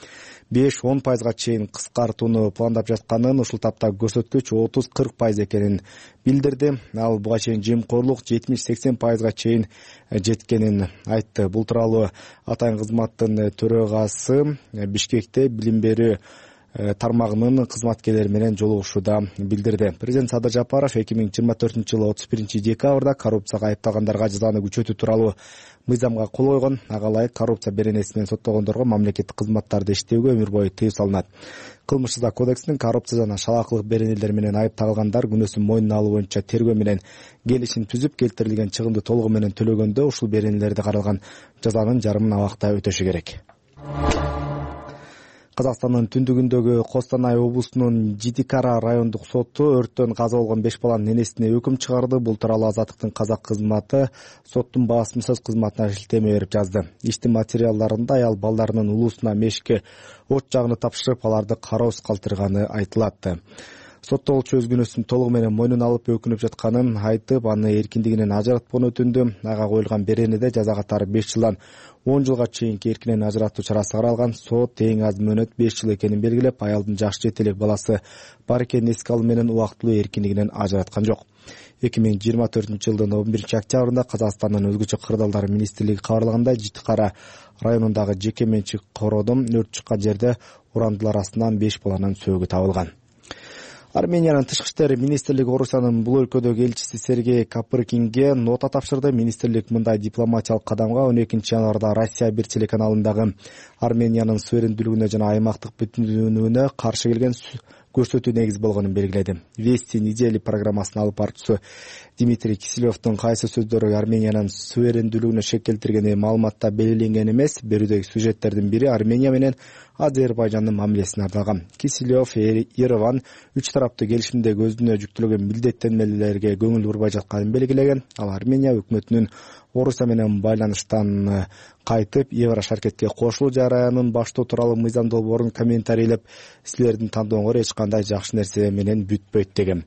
беш он пайызга чейин кыскартууну пландап жатканын, ушул тапта көрсөткүч отуз кырк пайыз экенин билдирди. Ал буга чейин жемкорлук жетимиш сексен пайызга чейин жеткенин айтты. Бул тууралуу атайын кызматтын төрагасы Бишкекте билим берүү тармагынын кызматкерлери менен жолугушууда билдирди. Президент Садыр Жапаров эки миң жыйырма төртүнчү жылы отуз биринчи декабрда коррупцияга айыпталгандарга жазаны күчөтүү тууралуу мыйзамга кол койгон. Ага ылайык коррупция беренеси менен соттолгондорго мамлекеттик кызматтарды иштөөгө өмүр бою тыюу салынат. Кылмыш жаза кодексинин коррупция жана шалаакылык беренелер менен айыпталгандар күнөөсүн мойнуна алуу боюнча тергөө менен келишим түзүп, келтирилген чыгымды толугу менен төлөгөндө ушул беренелерди каралган жазанын жарымын абакта өтөшү керек. Казакстандын түндүгүндөгү Костанай облусунун Житикара райондук соту өрттөн каза болгон беш баланын энесине өкүм чыгарды. Бул тууралуу Азаттыктын казак кызматы соттун басма сөз кызматына шилтеме берип жазды. Иштин материалдарында аял балдарынын улуусуна мешке от жагыны тапшырып, аларды кароосуз калтырганы айтылат. Соттолчу өз күнөөсүн толугу менен мойнуна алып өкүнүп жатканын айтып, аны эркиндигинен ажыратканын өтүндү. Ага коюлган беренеде жаза катары беш жылдан он жылга чейинки эркинен ажыратуу чарасы каралган. Сот эң аз мөөнөт беш жыл экенин белгилеп, аялдын жаш жетелек баласы бар экенин эске алуу менен убактылуу эркиндигинен ажыраткан жок. эки миң жыйырма төртүнчү жылдын он биринчи октябрында Казакстандын өзгөчө кырдаалдар министрлиги кабарлагандай, Житикара районундагы жеке менчик короодон өрт чыккан жерде урандылар астынан беш баланын сөөгү табылган. Армениянын тышкы иштер министрлиги Орусиянын бул өлкөдөгү элчиси Сергей Капыркинге нота тапшырды. Министрлик мындай дипломатиялык кадамга он экинчи январда Россия бир телеканалындагы Армениянын суверендүүлүгүнө жана аймактык бүтүндүгүнө каршы келген көрсөтүү негиз болгонун белгиледи. Вести недели программасынын алып баруучусу Дмитрий Киселевдин кайсы сөздөрү Армениянын суверендүүлүгүнө шек келтиргени маалыматта белгиленген эмес. Берүүдөгү сюжеттердин бири Армения менен Азербайжандын мамилесине арналган. Киселев Ереван үч тараптуу келишимдеги өзүнө жүктөлгөн милдеттенмелерге көңүл бурбай жатканын белгилеген. Ал Армения өкмөтүнүн Орусия менен байланыштан кайтып Еврошаркетке кошулуу жараянын баштоо тууралуу мыйзам долбоорун комментарийлеп, силердин тандооңор эч кандай жакшы нерсе менен бүтпөйт деген.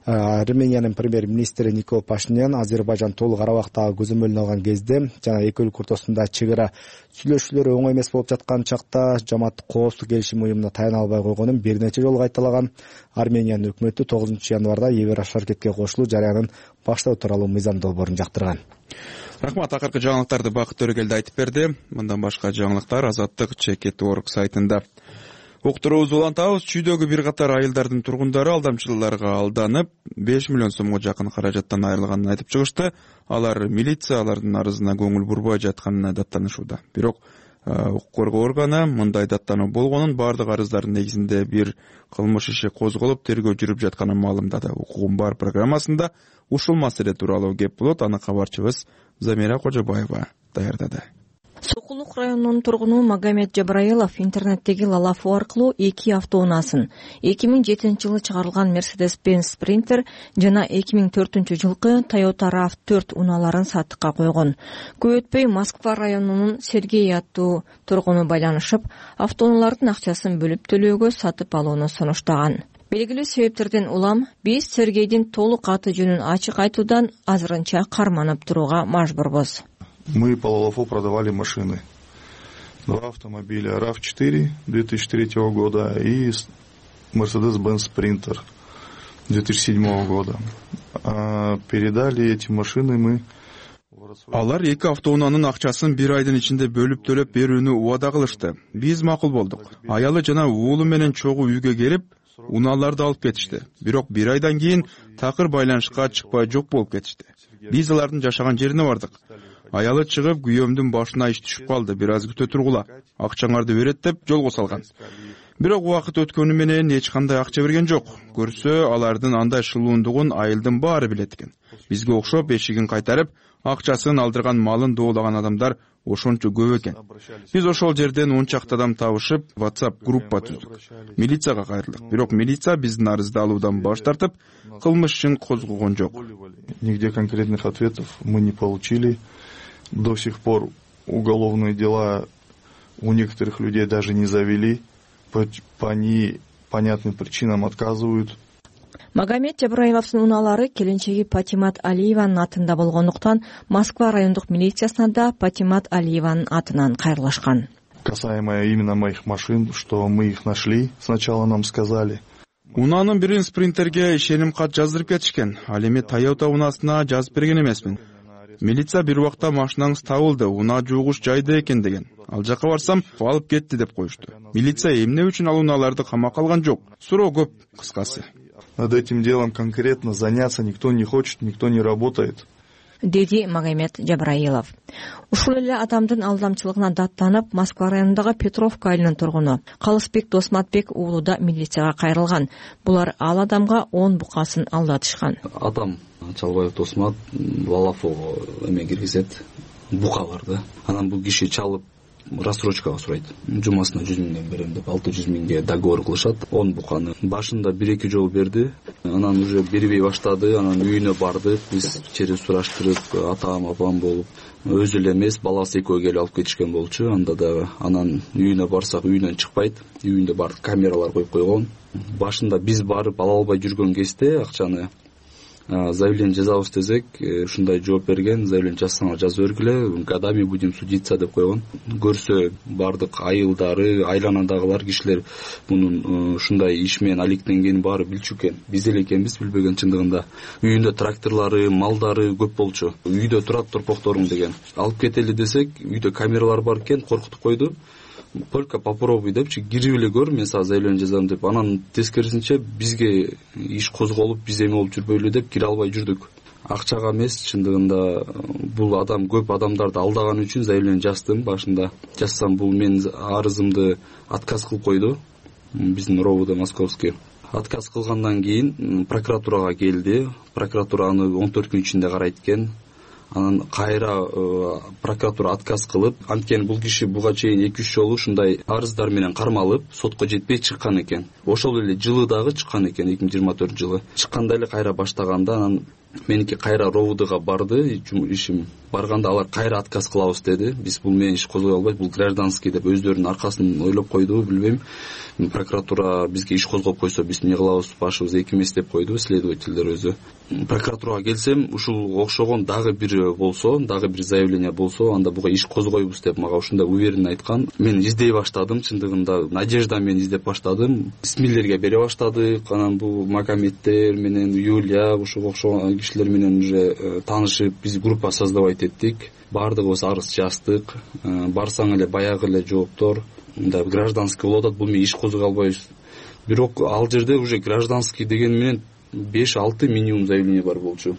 Армениянын премьер-министри Никол Пашинян Азербайжан толук арабактагы көзөмөлүнө алган кезде жана эки өлкө ортосунда чек ара сүйлөшүүлөр оңой эмес болуп жаткан чакта жамааттык коопсуздук келишим уюмуна таяна албай койгонун бир нече жолу кайталаган. Армениянын өкмөтү тогузунчу январда Еврошаркетке кошулуу жараянын баштоо тууралуу мыйзам долбоорун жактырган. Рахмат, акыркы жаңылыктарды Бакыт Төрөгелди айтып берди. Мындан башка жаңылыктар Азаттык чекит точка орг сайтында. Уктуруубузду улантабыз. Чүйдөгү бир катар айылдардын тургундары алдамчыларга алданып, беш миллион сомго жакын каражаттан айрылганын айтып чыгышты. Алар милиция алардын арызына көңүл бурбай жатканына даттанышууда. Бирок укук коргоо органы мындай даттануу болгонун, бардык арыздардын негизинде бир кылмыш иши козголуп, тергөө жүрүп жатканын маалымдады. Укугум бар программасында ушул маселе тууралуу кеп болот. Аны кабарчыбыз Замира Кожобаева даярдады. Сокулук районунун тургуну Магомед Жабраилов интернеттеги Лалафу аркылуу эки автоунаасын, эки миң жетинчи жылы чыгарылган Mercedes-Benz Sprinter жана эки миң төртүнчү жылкы Toyota рав төрт унааларын сатыкка койгон. Көп өтпөй Москва районунун Сергей аттуу тургуну байланышып, автоунаалардын акчасын бөлүп төлөөгө сатып алууну сунуштаган. Белгилүү себептерден улам биз Сергейдин толук аты жөнүн ачык айтуудан азырынча карманып турууга мажбурбуз. Мы по Лалафу продавали машины. Два автомобиля рав четыре две тысячи третьего года и Mercedes-Benz Sprinter две тысячи седьмого года. А передали эти машины мы. Алар эки автоунаанын акчасын бир айдын ичинде бөлүп төлөп берүүнү убада кылышты. Биз макул болдук. Аялы жана уулу менен чогуу үйгө келип, унааларды алып кетишти. Бирок бир айдан кийин такыр байланышка чыкпай жок болуп кетишти. Биз алардын жашаган жерине бардык. Аялы чыгып, күйөөмдүн башына иш түшүп калды. Бир аз күтө тургула. Акчаңарды берет деп жолго салган. Бирок убакыт өткөнү менен эч кандай акча берген жок. Көрсө, алардын андай шылуундугун айылдын баары билет экен. Бизге окшоп эшигин кайтарып, акчасын алдырган, малын доолаган адамдар ошончо көп экен. Биз ошол жерден он чакты адам табышып, WhatsApp группа түздүк. Милицияга кайрылдык. Бирок милиция биздин арызды алуудан баш тартып, кылмыш ишин козгогон жок. Нигде конкретных ответов мы не получили. До сих пор уголовные дела у некоторых людей даже не завели, по, по непонятным причинам отказывают. Магомед Жабраиловдун унаалары келинчеги Патимат Алиеванын атында болгондуктан Москва райондук милициясына да Патимат Алиеванын атынан кайрылышкан. Касаемо именно моих машин, что мы их нашли, сначала нам сказали. Унаанын бирин Спринтерге ишеним кат жаздырып кетишкен. Ал эми Toyota унаасына жазып берген эмесмин. Милиция бир убакта машинаңыз табылды, унаа жуугуш жайда экен деген. Ал жака барсам, алып кетти деп коюшту. Милиция эмне үчүн ал унааларды камакка алган жок? Суроо көп, кыскасы. Над этим делом конкретно заняться никто не хочет, никто не работает. Деди Магомед Жабраилов. Ушул эле адамдын алдамчылыгына даттанып, Москва районундагы Петровка айылынын тургуну Калысбек Досматбек уулу да милицияга кайрылган. Булар ал адамга он букасын алдатышкан. Атам Чалбаев Досмат Лалафого эме киргизет, бука бар да. Анан бул киши чалып рассрочкага сурайт. Жумасына жүз миңден берем деп алты жүз миңге договор кылышат. он буканы башында бир эки жолу берди. Анан уже бербей баштады. Анан үйүнө бардык. Биз чери сураштырып, атам, апам болуп, өзү эле эмес, баласы экөө келип алып кетишкен болчу. Анда дагы анан үйүнө барсак үйүнөн чыкпайт. Үйүндө бар камералар коюп койгон. Башында биз барып ала албай жүргөн кезде акчаны заявление жазабыз десек, ушундай жооп берген, заявление жазсаңар жазып бергиле, годами будем судиться деп койгон. Көрсө бардык айылдары, айланадагылар кишилер мунун ушундай иш менен алектенгенин баары билчү экен. Биз эле экенбиз билбеген чындыгында. Үйүндө тракторлору, малдары көп болчу. Үйдө турат торпокторуң деген. Алып кетели десек, үйдө камералар бар экен, коркутуп койду. только попробуй депчи, кирип эле көр, мен сага заявление жазам деп. Анан тескерисинче бизге иш козголуп, биз эме болуп жүрбөйлү деп кире албай жүрдүк. Акчага эмес, чындыгында бул адам көп адамдарды алдаган үчүн заявление жаздым. Башында жазсам, бул мен арызымды отказ кылып койду. Биздин РОВД московский. Отказ кылгандан кийин прокуратурага келди. Прокуратура аны он төрт күн ичинде карайт экен. Анан кайра прокуратура отказ кылып, анткени бул киши буга чейин эки үч жолу ушундай арыздар менен кармалып, сотко жетпей чыккан экен. Ошол эле жылы дагы чыккан экен, эки миң жыйырма төртүнчү жылы. Чыкканда эле кайра баштаганда, анан меники кайра РОВДга барды, ишим барганда алар кайра отказ кылабыз деди. Биз бул менен иш козгой албайт, бул гражданский деп өздөрүнүн аркасын ойлоп койду, билбейм. Прокуратура бизге иш козгоп койсо, биз эмне кылабыз, башыбыз эки эмес деп койду следовательдер өзү. Прокуратурага келсем, ушул окшогон дагы бир болсо, дагы бир заявление болсо, анда буга иш козгойбуз деп мага ушундай уверенно айткан. Мен издей баштадым, чындыгында надежда менен издеп баштадым. Исмилерге бере баштадык. Анан бул Магометтер менен Юлия, ушуга окшогон кишилер менен уже таанышып, биз группа создавать эттик. Баардыгыбыз арыз жаздык. Барсаң эле баягы эле жооптор, мындай гражданский болуп атат, бул менен иш козгой албайбыз. Бирок ал жерде уже гражданский деген менен беш алты минимум заявление бар болчу.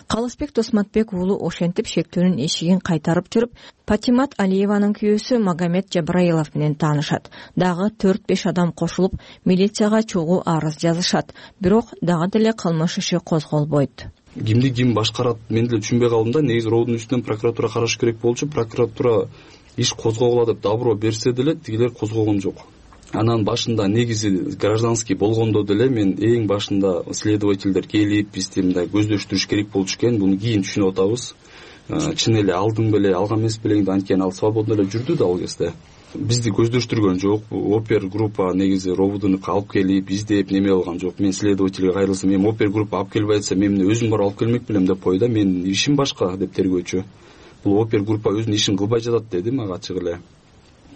Калысбек Досматбек уулу ошентип шектөөнүн эшигин кайтарып жүрүп, Патимат Алиеванын күйөөсү Магомед Жабраилов менен таанышат. Дагы төрт беш адам кошулуп, милицияга чогуу арыз жазышат. Бирок дагы деле кылмыш иши козголбойт. Кимди ким башкарат, мен деле түшүнбөй калдым да. Негизи РОВДун үстүнөн прокуратура караш керек болчу. Прокуратура иш козгогула деп добро берсе деле, тигилер козгогон жок. Анан башында негизи гражданский болгондо деле мен эң башында следовательдер келип, бизди мындай көздөштүрүш керек болчу экен. Буну кийин түшүнүп атабыз. Чын эле алдым беле, алган эмес белең, анткени ал свободно эле жүрдү да ал кезде. Бизди көздөштүргөн жок. Опер группа негизи РОВДуну алып келип, издеп неме кылган жок. Мен следовательге кайрылсам, мен опер группа алып келбей атса, мен өзүм барып алып келмек белем деп койду. Мен ишим башка деп тергөөчү. Бул опер группа өзүнүн ишин кылбай жатат деди мага ачык эле.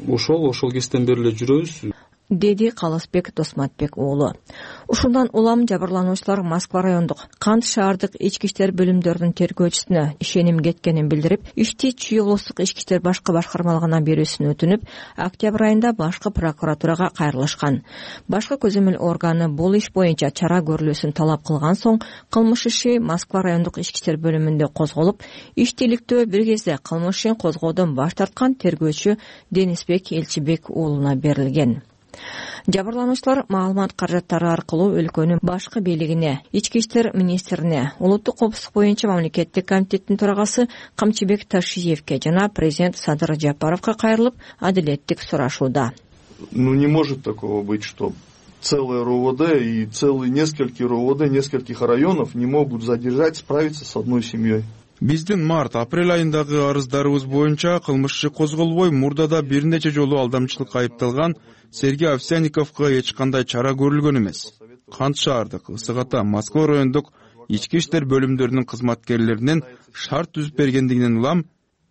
Ошол ошол кезден бери эле жүрөбүз, деди Калысбек Досматбек уулу. Ушундан улам жабырлануучулар Москва райондук Кант шаардык ички иштер бөлүмдөрүнүн тергөөчүсүнө ишеним кеткенин билдирип, ишти Чүй облустук ички иштер башкы башкармалыгына берүүсүн өтүнүп, октябрь айында башкы прокуратурага кайрылышкан. Башкы көзөмөл органы бул иш боюнча чара көрүлүүсүн талап кылган соң, кылмыш иши Москва райондук ички иштер бөлүмүндө козголуп, иштиликтөө бир кезде кылмыш ишин козгоодон баш тарткан тергөөчү Денисбек Элчибек уулуна берилген. Жабырлануучулар маалымат каражаттары аркылуу өлкөнүн башкы бийлигине, ички иштер министрине, улуттук коопсуздук боюнча мамлекеттик комитеттин төрагасы Камчыбек Ташиевке жана президент Садыр Жапаровго кайрылып, адилеттик сурашууда. Ну не может такого быть, что целое РОВД и целые несколько РОВД нескольких районов не могут задержать, справиться с одной семьей. Биздин март-апрель айындагы арыздарыбыз боюнча кылмыш иши козголбой, мурдада бир нече жолу алдамчылыкка айыпталган Сергей Овсянниковго эч кандай чара көрүлгөн эмес. Кант шаардык, Ысык Ата, Москва райондук ички иштер бөлүмдөрүнүн кызматкерлеринин шарт түзүп бергендигинен улам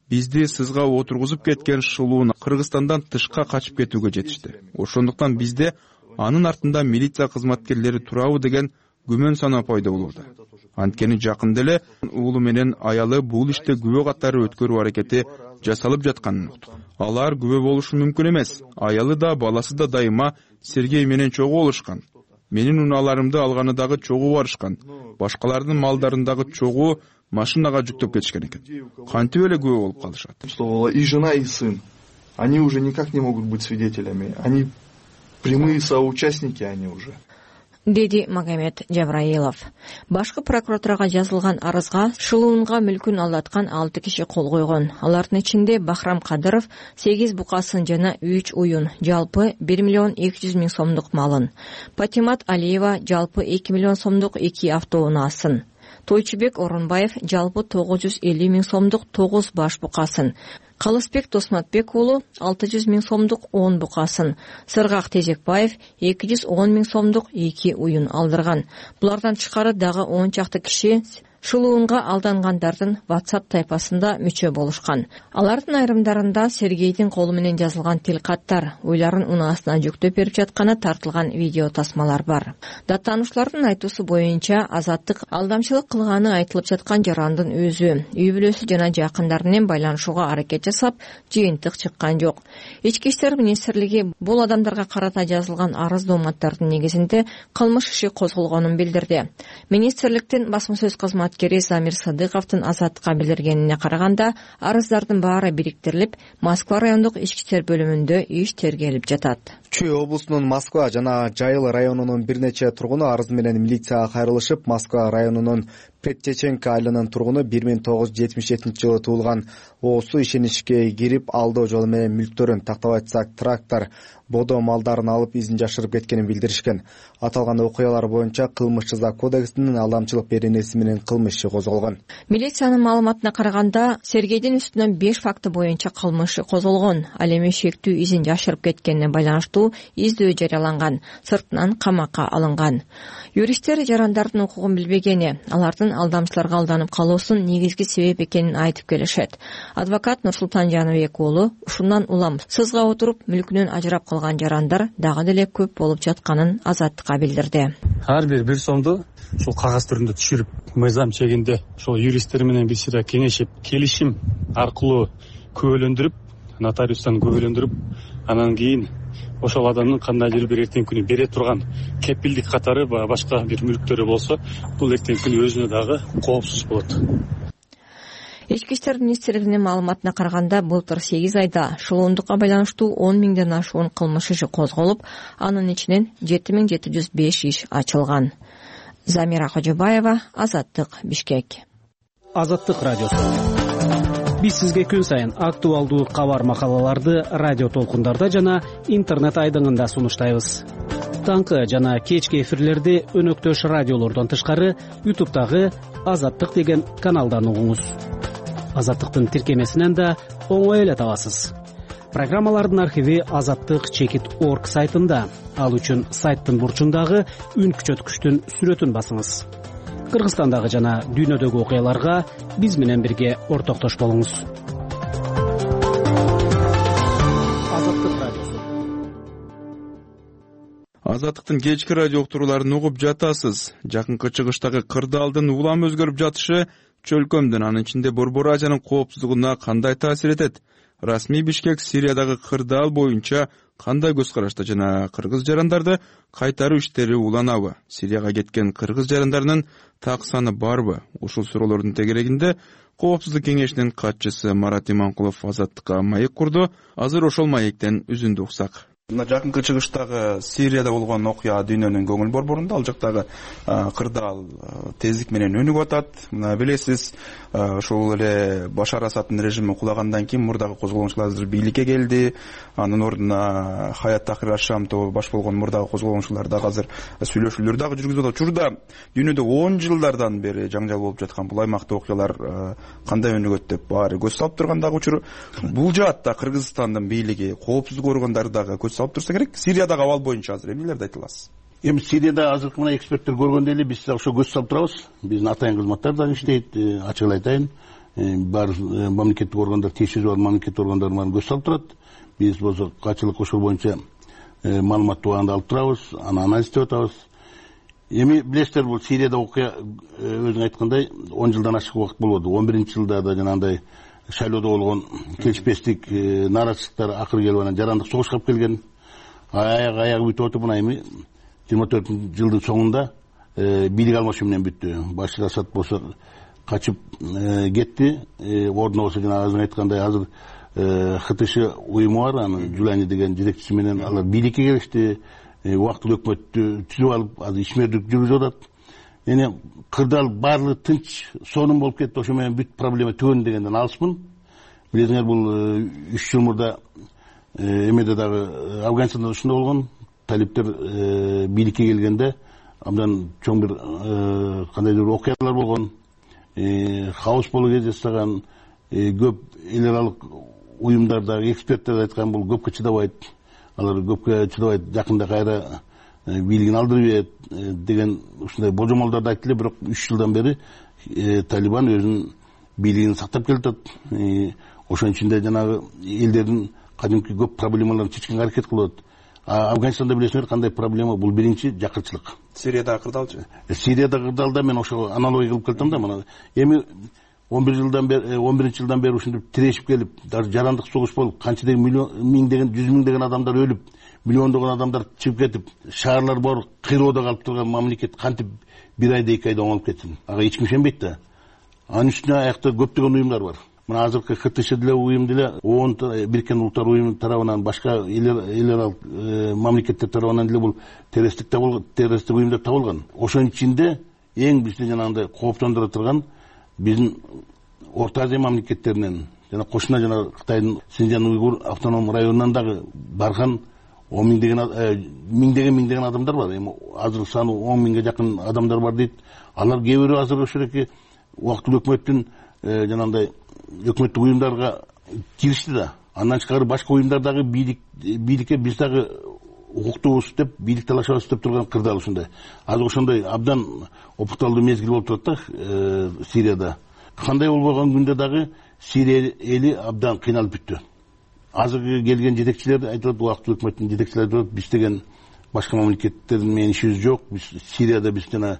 бизди сызга отургузуп кеткен шылуун Кыргызстандан тышка качып кетүүгө жетишти. Ошондуктан бизде анын артында милиция кызматкерлери турабы деген күмөн сана пайда болууда. Анткени жакында эле уулу менен аялы бул иште күбө катары өткөрүү аракети жасалып жатканын уктук. Алар күбө болушу мүмкүн эмес. Аялы да, баласы да дайыма Сергей менен чогуу болушкан. Менин унааларымды алганы дагы чогуу барышкан. Башкалардын малдарын дагы чогуу машинага жүктөп кетишкен экен. Кантип эле күбө болуп калышат? И жена, и сын. Они уже никак не могут быть свидетелями. Они прямые соучастники, они уже. Деди Магомед Жабраилов. Башкы прокуратурага жазылган арызга шылуунга мүлкүн алдаткан алты киши кол койгон. Алардын ичинде Бахрам Кадыров сегиз букасын жана үч уюн, жалпы бир миллион эки жүз миң сомдук малын. Патимат Алиева жалпы эки миллион сомдук эки автоунаасын. Тойчубек Орунбаев жалпы тогуз жүз элүү миң сомдук тогуз баш букасын. Калысбек Досматбек уулу алты жүз миң сомдук он букасын, Сыргак Тезекбаев эки жүз он миң сомдук эки уюн алдырган. Булардан тышкары дагы он чакты киши Шылуунга алдангандардын WhatsApp тайпасында мүчө болушкан. Алардын айрымдарында Сергейдин колу менен жазылган тил каттар, уйларын унаасына жүктөп берип жатканы тартылган видео тасмалар бар. Даттануучулардын айтуусу боюнча Азаттык алдамчылык кылганы айтылып жаткан жарандын өзү, үй бүлөсү жана жакындары менен байланышууга аракет жасап, жыйынтык чыккан жок. Ички иштер министрлиги бул адамдарга карата жазылган арыз дооматтардын негизинде кылмыш иши козголгонун билдирди. Министрликтин басма сөз кызматкери Замир Садыковдун Азаттыкка билдиргенине караганда, арыздардын баары бириктирилип, Москва райондук ички иштер бөлүмүндө иш тергелип жатат. Чүй облусунун Москва жана Жайыл районунун бир нече тургуну арыз менен милицияга кайрылышып, Москва районунун Предчеченко айылынын тургуну бир миң тогуз жүз жетимиш жетинчи жылы туулган оосу ишеничке кирип, алдоо жолу менен мүлктөрүн, тактап айтсак трактор, бодо малдарын алып изин жашырып кеткенин билдиришкен. Аталган окуялар боюнча кылмыш жаза кодексинин алдамчылык беренеси менен кылмыш иши козголгон. Милициянын маалыматына караганда, Сергейдин үстүнөн беш факты боюнча кылмыш иши козголгон. Ал эми шектүү изин жашырып кеткенине байланыштуу издөө жарыяланган, сыртынан камакка алынган. Юристтер жарандардын укугун билбегени, алардын алдамчыларга алданып калуусунун негизги себеп экенин айтып келишет. Адвокат Нурсултан Жаныбек уулу ушундан улам сызга отуруп мүлкүнөн ажырап калган жарандар дагы деле көп болуп жатканын Азаттыкка билдирди. Ар бир бир сомду ушул кагаз түрүндө түшүрүп, мыйзам чегинде ошол юристтер менен биз сире кеңешип, келишим аркылуу күбөлөндүрүп, нотариустан күбөлөндүрүп, анан кийин ошол адамдын кандайдыр бир эртең күнү бере турган кепилдик катары башка бир мүлктөрү болсо, бул эртең күнү өзүнө дагы коопсуз болот. Ички иштер министрлигинин маалыматына караганда, былтыр сегиз айда шылуундукка байланыштуу он миңден ашуун кылмыш иши козголуп, анын ичинен жети миң жети жүз беш иш ачылган. Замира Кожобаева, Азаттык, Бишкек. Азаттык радиосу. Биз сизге күн сайын актуалдуу кабар макалаларды радио толкундарда жана интернет айдыңында сунуштайбыз. Таңкы жана кечки эфирлерди өнөктөш радиолордон тышкары ютубтагы Азаттык деген каналдан угуңуз. Азаттыктын тиркемесинен да оңой эле табасыз. Программалардын архиви азаттык чекит точка орг сайтында. Ал үчүн сайттын бурчундагы үн күчөткүчтүн сүрөтүн басыңыз. Кыргызстандагы жана дүйнөдөгү окуяларга биз менен бирге ортоктош болуңуз. Азаттык радиосу. Азаттыктын кечки радио уктурууларын угуп жатасыз. Жакынкы чыгыштагы кырдаалдын улам өзгөрүп жатышы чөлкөмдүн, анын ичинде Борбор Азиянын коопсуздугуна кандай таасир этет? Расмий Бишкек Сириядагы кырдаал боюнча кандай көз карашта жана кыргыз жарандарды кайтаруу иштери уланабы? Сирияга кеткен кыргыз жарандарынын так саны барбы? Ушул суроолордун тегерегинде Коопсуздук кеңешинин катчысы Марат Иманкулов Азаттыкка маек курду. Азыр ошол маектен үзүндү уксак. Мына жакынкы чыгыштагы Сирияда болгон окуя дүйнөнүн көңүл борборунда, ал жактагы кырдаал тездик менен өнүгүп атат. Мына билесиз, ошол эле Башар Асаддын режими кулагандан кийин мурдагы козголоңчулар азыр бийликке келди. Анын ордуна Хаят Тахрир аш-Шам тобу баш болгон мурдагы козголоңчулар дагы азыр сүйлөшүүлөр дагы жүргүзүп атат. Учурда дүйнөдө он жылдардан бери жаңжал болуп жаткан бул аймакта окуялар кандай өнүгөт деп баары көз салып турган дагы учур. Бул жаатта Кыргызстандын бийлиги, коопсуздук органдары дагы көз салып турса керек. Сириядагы абал боюнча азыр эмнелерди айта аласыз? Эми Сирияда азыркы мына эксперттер көргөндөй эле биз ошо көз салып турабыз. Биздин атайын кызматтар дагы иштейт, ачык эле айтайын. Бар мамлекеттик органдар, тиешеси бар мамлекеттик органдар баарын көз салып турат. Биз болсо качылык ошол боюнча маалыматты убагында алып турабыз, аны анализдеп атабыз. Эми билесиздер, бул Сирияда окуя өзүң айткандай он жылдан ашык убакыт болду. он биринчи жылда да жанагындай шайлоодо болгон келишпестик, нааразычылыктар акыры келип анан жарандык согушка алып келген. Аяк аягы бүтүп отуп, мына эми жыйырма төртүнчү жылдын соңунда бийлик алмашуу менен бүттү. Башар Асад болсо качып кетти. Ордуна болсо жана өзүң айткандай азыр ХТШ уюму бар, анын Жулани деген жетекчиси менен алар бийликке келишти. Убактылуу өкмөттү түзүп алып, азыр ишмердик жүргүзүп атат. Эне кырдаал баардыгы тынч, сонун болуп кетти. Ошо менен бүт проблема түгөн дегенден алыспын. Билесиңер, бул үч жыл мурда эмеде дагы Афганистанда ушундай болгон. Талиптер бийликке келгенде абдан чоң бир кандайдыр бир окуялар болгон. Хаос болуу кездестаган, көп эл аралык уюмдар дагы, эксперттер айткан, бул көпкө чыдабайт. Алар көпкө чыдабайт. Жакында кайра бийлигин алдырып ийет деген ушундай божомолдорду айтты эле. Бирок үч жылдан бери Талибан өзүнүн бийлигин сактап келатат. Ошонун ичинде жанагы элдердин кадимки көп проблемаларын чечкенге аракет кылып атат. Афганистанда билесиңер кандай проблема? Бул биринчи жакырчылык. Сириядагы кырдаалчы? Сириядагы кырдаалда мен ошого аналогия кылып келатам да. Мына эми он бир жылдан бери он биринчи жылдан бери ушинтип тирешип келип, даже жарандык согуш болуп, канчадеген миллион миңдеген, жүз миңдеген адамдар өлүп, миллиондогон адамдар чыгып кетип, шаарлар бар кыйроодо калып турган мамлекет кантип бир айда эки айда оңолуп кетсин? Ага эч ким ишенбейт да. Анын үстүнө аякта көптөгөн уюмдар бар. Мына азыркы ХТШ деле уюм деле, ООН Бириккен Улуттар уюму тарабынан, башка эл аралык мамлекеттер тарабынан деле бул террористтик террористтик уюмдар табылган. Ошонун ичинде эң бизди жанагындай кооптондура турган биздин Орто Азия мамлекеттеринен жана кошуна жана Кытайдын Синжан уйгур автоном районунан дагы барган он миңдеген миңдеген миңдеген адамдар бар. Эми азыр саны он миңге жакын адамдар бар дейт. Алар кээ бирөө азыр ошол эки убактылуу өкмөттүн жанагындай өкмөттүк уюмдарга киришти да. Андан тышкары башка уюмдар дагы бийлик бийликке биз дагы укуктуубуз деп, бийлик талашабыз деп турган кырдаал ушундай. Азыр ошондой абдан опукталдуу мезгил болуп турат да Сирияда. Кандай болбогон күндө дагы Сирия эли абдан кыйналып бүттү. Азыркы келген жетекчилер айтат, убактылуу өкмөттүн жетекчилери айтат, биз деген башка мамлекеттер менен ишибиз жок. Биз Сирияда биз жана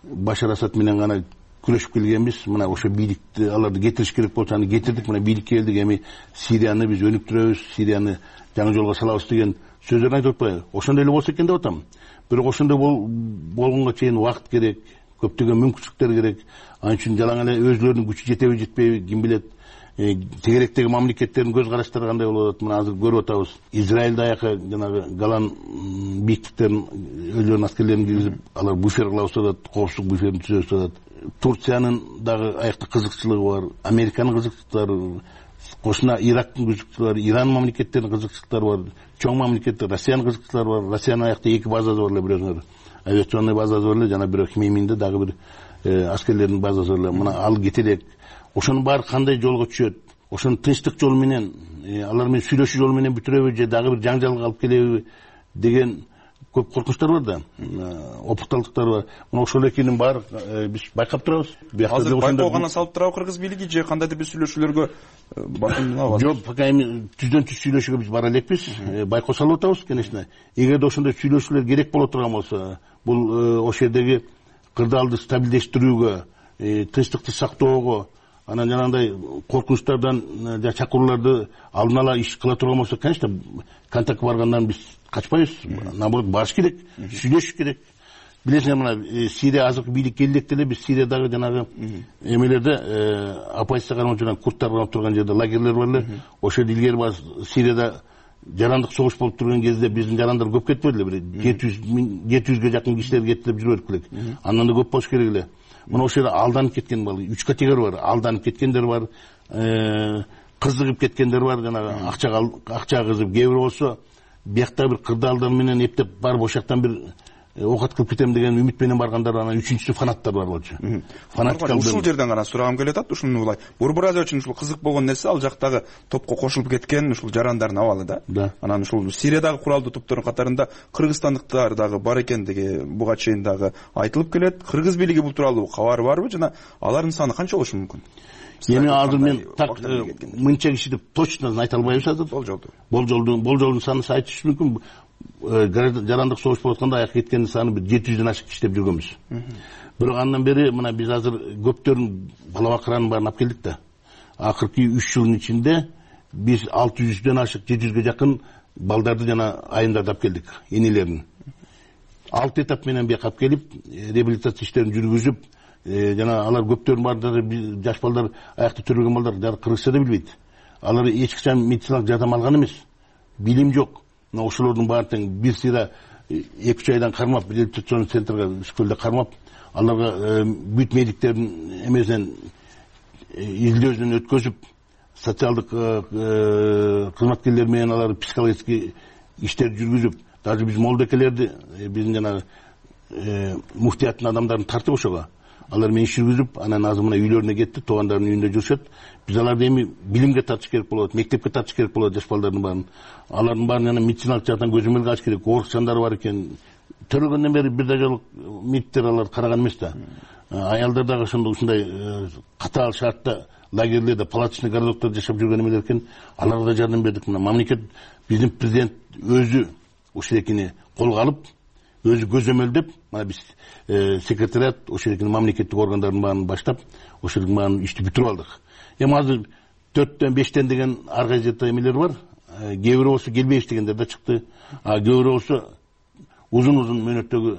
Башар Асад менен гана күрөшүп келгенбиз. Мына ошо бийликти аларды кетириш керек болсо аны кетирдик. Мына бийликке келдик. Эми Сирияны биз өнүктүрөбүз, Сирияны жаңы жолго салабыз деген сөздөрүн айтып атпайбы? Ошондой эле болсо экен деп атам. Бирок ошондой болгонго чейин убакыт керек, көптөгөн мүмкүнчүлүктөр керек. Анын үчүн жалаң эле өзүлөрүнүн күчү жетеби жетпейби ким билет. Тегеректеги мамлекеттердин көз караштары кандай болуп атат? Мына азыр көрүп атабыз. Израиль даяка жанагы Голан бийиктиктерин өзүлөрүнүн аскерлерин киргизип, алар буфер кылабыз деп атат, коопсуздук буферин түзөбүз деп атат. Турциянын дагы аякта кызыкчылыгы бар, Американын кызыкчылыктары, кошуна Ирактын кызыкчылыгы бар, Иран мамлекеттеринин кызыкчылыктары бар, чоң мамлекеттер, Россиянын кызыкчылыктары бар. Россиянын аякта эки базасы бар эле, билесиңер. Авиационный базасы бар эле, жана бирөө Хмейминде дагы бир аскерлердин базасы бар эле. Мына ал кетелек. Ошонун баары кандай жолго түшөт? Ошону тынчтык жолу менен, алар менен сүйлөшүү жолу менен бүтүрөбү же дагы бир жаңжалга алып келеби деген көп коркунучтар бар да, опукталдыктар бар. Мына ошол экинин баары биз байкап турабыз. Азыр байкоо гана салып турабы кыргыз бийлиги же кандайдыр бир сүйлөшүүлөргө басымдап? Жок, пока эми түздөн түз сүйлөшүүгө биз бара элекпиз. Байкоо салып атабыз, конечно. Эгерде ошондой сүйлөшүүлөр керек боло турган болсо, бул ошол жердеги кырдаалды стабилдештирүүгө, тынчтыкты сактоого, анан жанагындай коркунучтардан жана чакырууларды алдын ала иш кыла турган болсо, конечно, контактка баргандан биз качпайбыз. Наоборот, барыш керек, сүйлөшүш керек. Билесиңер, мына Сирия азыркы бийликке келдик эле, биз Сириядагы жанагы эмелерде оппозиция кармап жүргөн, курдтар кармап турган жерде лагерлер бар эле. Ошол илгери бар Сирияда жарандык согуш болуп турган кезде биздин жарандар көп кетпеди эле, бир жети жүзгө жакын кишилер кетип жүрөт элек. Андан да көп болуш керек эле. Мына ошол жерде алданып кеткен бар, үч категория бар. Алданып кеткендер бар, кызыгып кеткендер бар, жанагы акчага акчага кызып, кээ бирөө болсо биякта бир кырдаалдар менен эптеп барып ошол жактан бир оокат кылып кетем деген үмүт менен баргандар, анан үчүнчүсү фанаттар бар болчу. Фанаттар ушул жерден гана сурагым келип атат. Ушуну булай Борбор Азия үчүн ушул кызык болгон нерсе, ал жактагы топко кошулуп кеткен ушул жарандардын абалы да. Анан ушул Сириядагы куралдуу топтордун катарында кыргызстандыктар дагы бар экендиги буга чейин дагы айтылып келет. Кыргыз бийлиги бул тууралуу кабары барбы жана алардын саны канча болушу мүмкүн? Эми азыр мен так мынча киши деп точно айта албайбыз азыр. Болжолду. Болжолдун болжолдун санын айтыш мүмкүн. Жарандык согуш болуп атканда аяк кеткендин саны бир жети жүздөн ашык киши деп жүргөнбүз. Бирок андан бери мына биз азыр көптөрүн бала бакыранын баарын алып келдик да. Акыркы үч жылдын ичинде биз алты жүздөн ашык, жети жүзгө жакын балдарды жана айымдарды алып келдик, энелерин. Алты этап менен бияка алып келип, реабилитация иштерин жүргүзүп, жана алар көптөрүнүн баардыгы жаш балдар, аякта төрөлгөн балдар кыргызча да билбейт. Алар эч качан медициналык жардам алган эмес. Билим жок. Мына ошолордун баары тең бир сыйра эки үч айдан кармап, реабилитацион центрге Үскөлдө кармап, аларга бүт медиктердин эмесинен изилдөөсүн өткөзүп, социалдык кызматкерлер менен алар психологический иштер жүргүзүп, даже биз молдокелерди, биздин жанагы муфтияттын адамдарын тартып ошого. Алар менен иш жүргүзүп, анан азыр мына үйлөрүнө кетти, туугандарынын үйүндө жүрүшөт. Биз аларды эми билимге тартыш керек болот, мектепке тартыш керек болот жаш балдардын баарын. Алардын баарын жана медициналык жактан көзөмөлгө алыш керек. Оорукчандары бар экен, төрөлгөндөн бери бир да жолу мектептер алар караган эмес да. Аялдар дагы ошондой ушундай катаал шартта лагерлерде палаточный городоктордо жашап жүргөн эмелер экен. Аларга да жардам бердик. Мына мамлекет, биздин президент өзү ошол экени колго алып, өзү көзөмөлдөп, мына биз секретариат ошол экени мамлекеттик органдардын баарын баштап, ошолдун баарын ишти бүтүрүп алдык. Эми азыр төрттөн бештен деген ар кайсы эмелер бар. Кээ бирөө болсо келбейбиз дегендер да чыкты. А кээ бирөө болсо узун узун мөөнөттөгү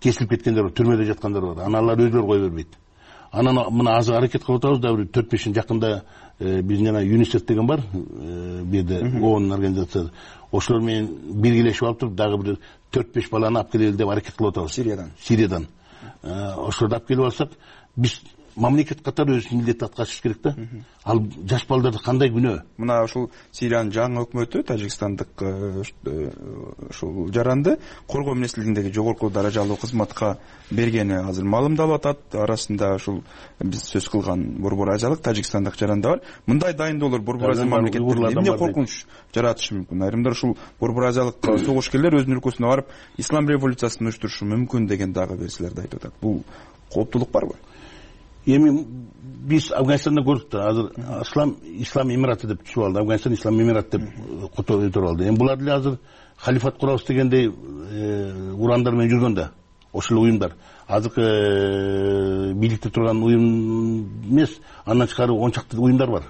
кесилип кеткендер бар, түрмөдө жаткандар бар. Анан алар өзүлөрү кое бербейт. Анан мына азыр аракет кылып атабыз да, бир төрт бешин жакында биздин жана ЮНИСЕФ деген бар, бу жерде ООНдун организациясы. Ошолор менен биргелешип алып туруп дагы бир төрт беш баланы алып келели деп аракет кылып атабыз. Сириядан. Сириядан. Ошолорду алып келип алсак, биз мамлекет катары өз милдетти аткарыш керек да. Ал жаш балдарды кандай күнөө? Мына ушул Сириянын жаңы өкмөтү, тажикстандык ушул жаранды коргоо министрлигиндеги жогорку даражалуу кызматка бергени азыр маалымдалып атат. Арасында ушул биз сөз кылган борбор азиялык тажикстандык жаранда бар. Мындай дайындоолор борбор азия мамлекеттеринде эмне коркунуч жаратышы мүмкүн? Айрымдар ушул борбор азиялык согушкерлер өзүнүн өлкөсүнө барып ислам революциясын уюштурушу мүмкүн деген дагы версияларды айтып атат. Бул кооптулук барбы? Эми биз Афганистанда көрдүк да, азыр ислам ислам эмираты деп түшүп алды. Афганистан ислам эмираты деп кото өтөрүп алды. Эми булар деле азыр халифат курабыз дегендей урандар менен жүргөн да. Ошол уюмдар. Азыркы бийликте турган уюм эмес, андан тышкары он чакты уюмдар бар.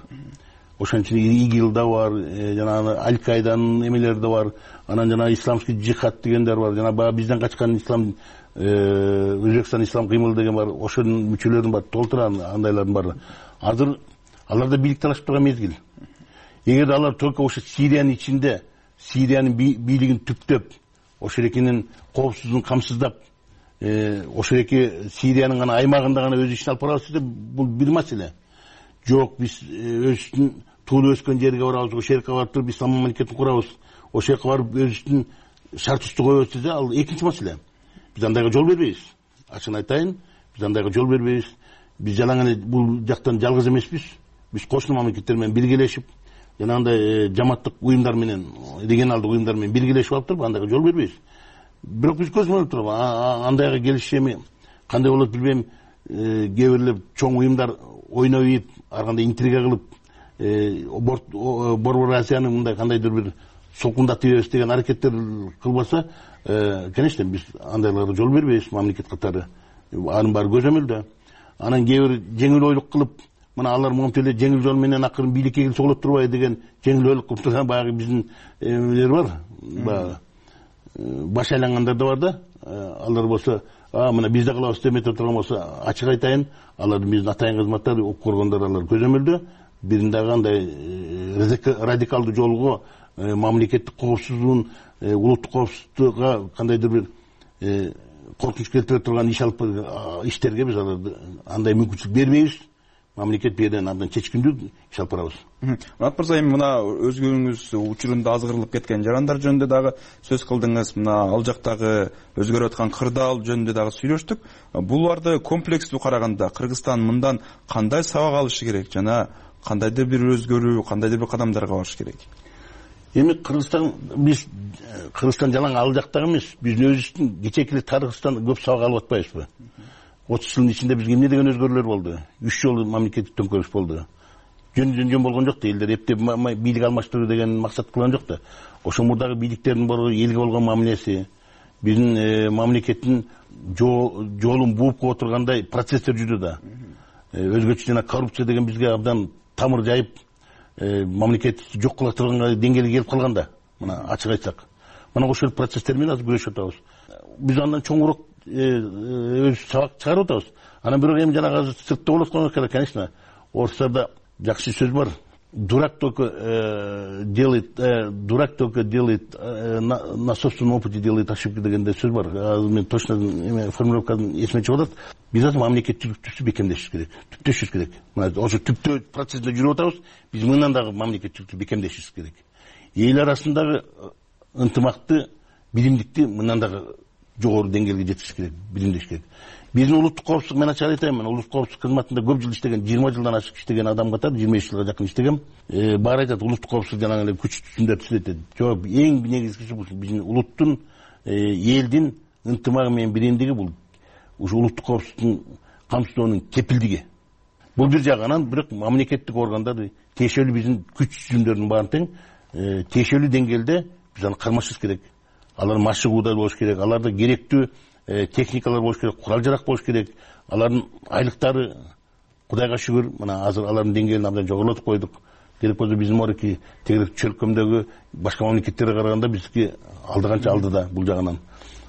Ошонун ичинде ИГИЛ да бар, жана Аль-Каиданын эмелери да бар, анан жана исламский джихад дегендер бар, жана баягы бизден качкан ислам Өзбекстан ислам кыймылы деген бар, ошонун мүчөлөрүн бар, толтура андайлардын баары. Азыр аларда бийлик талашып турган мезгил. Эгер алар только ошо Сириянын ичинде, Сириянын бийлигин түптөп, ошол экенин коопсуздугун камсыздап, ошол эки Сириянын гана аймагында гана өз ишин алып барабыз деп, бул бир маселе. Жок, биз өзүбүздүн туулуп өскөн жерге барабыз, ошол жерге барып туруп ислам мамлекетин курабыз, ошол жака барып өзүбүздүн шартыбызды коебуз десе, ал экинчи маселе. Биз андайга жол бербейбиз. Ачыгын айтайын, биз андайга жол бербейбиз. Биз жалаң эле бул жактан жалгыз эмеспиз. Биз кошуна мамлекеттер менен биргелешип, жана андай жаматтык уюмдар менен, регионалдык уюмдар менен биргелешип алып туруп, андайга жол бербейбиз. Бирок биз көзөмөлдөп туруп, андайга келишиш эми кандай болот билбейм, кээ бирлер чоң уюмдар ойноп ийип, ар кандай интрига кылып, борбор Азиянын мындай кандайдыр бир солкундатып ийебиз деген аракеттер кылбаса, конечно, биз андайларга жол бербейбиз мамлекет катары. Анын баары көзөмөлдө. Анан кээ бир жеңил ойлук кылып, мына алар монтип эле жеңил жол менен акырын бийликке келсе болот турбайбы деген жеңил ойлук кылып турган баягы биздин эмелер бар. Баягы баш айлангандар да бар да. Алар болсо, а мына биз да кылабыз деп этип турган болсо, ачык айтайын, алардын биздин атайын кызматтар, укук коргондор алар көзөмөлдө. Бирин дагы андай радикалдуу жолго мамлекеттик коопсуздугун, улуттук коопсуздукка кандайдыр бир коркунуч келтире турган иш алып иштерге биз аларды андай мүмкүнчүлүк бербейбиз. Мамлекет бул жерден андан чечкиндүү иш алып барабыз. Мурат мырза, эми мына өзгөрүүңүз учурунда азгырылып кеткен жарандар жөнүндө дагы сөз кылдыңыз. Мына ал жактагы өзгөрүп аткан кырдаал жөнүндө дагы сүйлөштүк. Буларды комплекстүү караганда Кыргызстан мындан кандай сабак алышы керек жана кандайдыр бир өзгөрүү, кандайдыр бир кадамдарга барыш керек? Эми Кыргызстан, биз Кыргызстан жалаң ал жактагы эмес, биздин өзүбүздүн кечээки тарыхыбыздан көп сабак алып атпайбызбы? отуз жылдын ичинде бизге эмне деген өзгөрүүлөр болду? үч жолу мамлекеттик төңкөрүш болду. Жөн жөн болгон жок да, элдер эптеп бийлик алмаштыруу деген максат кылган жок да. Ошол мурдагы бийликтердин баары элге болгон мамилеси, биздин мамлекеттин жолун бууп кое тургандай процесстер жүрдү да. Өзгөчө жана коррупция деген бизге абдан тамыр жайып, мамлекетти жок кыла турган деңгээлге келип калган да. Мына ачык айтсак, мына ошол процесстер менен азыр күрөшүп атабыз. Биз андан чоңураак өз сабак чыгарып атабыз. Анан бирок эми жанагы азыр сыртта болуп аткан керек, конечно. Орустарда жакшы сөз бар. Дурак только делает, дурак только делает на собственном опыте делает ошибки дегенде сөз бар. Азыр мен точно формулировкасын эсиме чыгып атат. Биз азыр мамлекеттүүлүктү бекемдешибиз керек, түптөшүбүз керек. Мына ошо түптөө процессинде жүрүп атабыз. Биз мындан дагы мамлекеттүүлүктү бекемдешибиз керек. Эл арасындагы ынтымакты, биримдикти мындан дагы жогору деңгээлге жеткизиш керек, биримдеш керек. Биздин улуттук коопсуздук, мен ачык айтайын, мен улуттук коопсуздук кызматында көп жыл иштеген, жыйырма жылдан ашык иштеген адам катары, жыйырма беш жылга жакын иштегем. Баары айтат, улуттук коопсуздук жанагы эле күч түзүмдөр түзөт дейт. Жок, эң негизгиси бул биздин улуттун элдин ынтымагы менен биримдиги, бул ушу улуттук коопсуздуктун камсыздоонун кепилдиги. Бул бир жагы. Анан бирок мамлекеттик органдар тиешелүү биздин күч жүзүмдөрдүн баарын тең тиешелүү деңгээлде биз аны кармашыбыз керек. Алар машыгууда болуш керек, аларда керектүү техникалар болуш керек, курал жарак болуш керек. Алардын айлыктары, Кудайга шүгүр, мына азыр алардын деңгээлин абдан жогорулатып койдук. Керек болсо биздин морки тегерек чөлкөмдөгү башка мамлекеттерге караганда биздики алдыганча алдыда бул жагынан.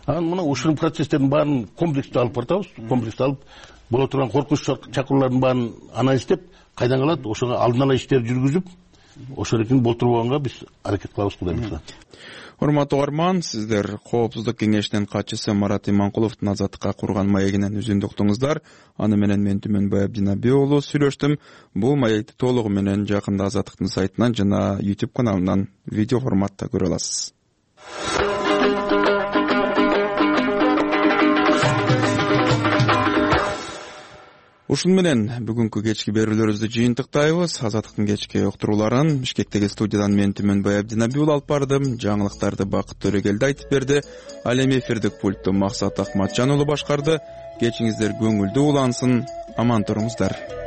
Анан мына ушул процесстердин баарын комплекстүү алып баратабыз. Комплекстүү алып боло турган коркунуч чакыруулардын баарын анализдеп, кайдан калат, ошого алдын ала иштер жүргүзүп, ошолордун болтурбаганга биз аракет кылабыз, Кудай буйрса. Урматтуу угарман, сиздер Коопсуздук кеңешинин катчысы Марат Иманкуловдун Азаттыкка курган маегинен үзүндү уктуңуздар. Аны менен мен Түмөнбай Абдинаби уулу сүйлөштүм. Бул маекти толугу менен жакында Азаттыктын сайтынан жана YouTube каналынан видео форматта көрө аласыз. Ушун менен бүгүнкү кечки берүүлөрүбүздү жыйынтыктайбыз. Азаттыктын кечки уктурууларын Бишкектеги студиядан мен Түмөнбай Абдинаби уулу алып бардым. Жаңылыктарды Бакыт Төрөгелди айтып берди. Ал эми эфирдик пультту Максат Акматжан уулу башкарды. Кечиңиздер көңүлдүү улансын. Аман туруңуздар.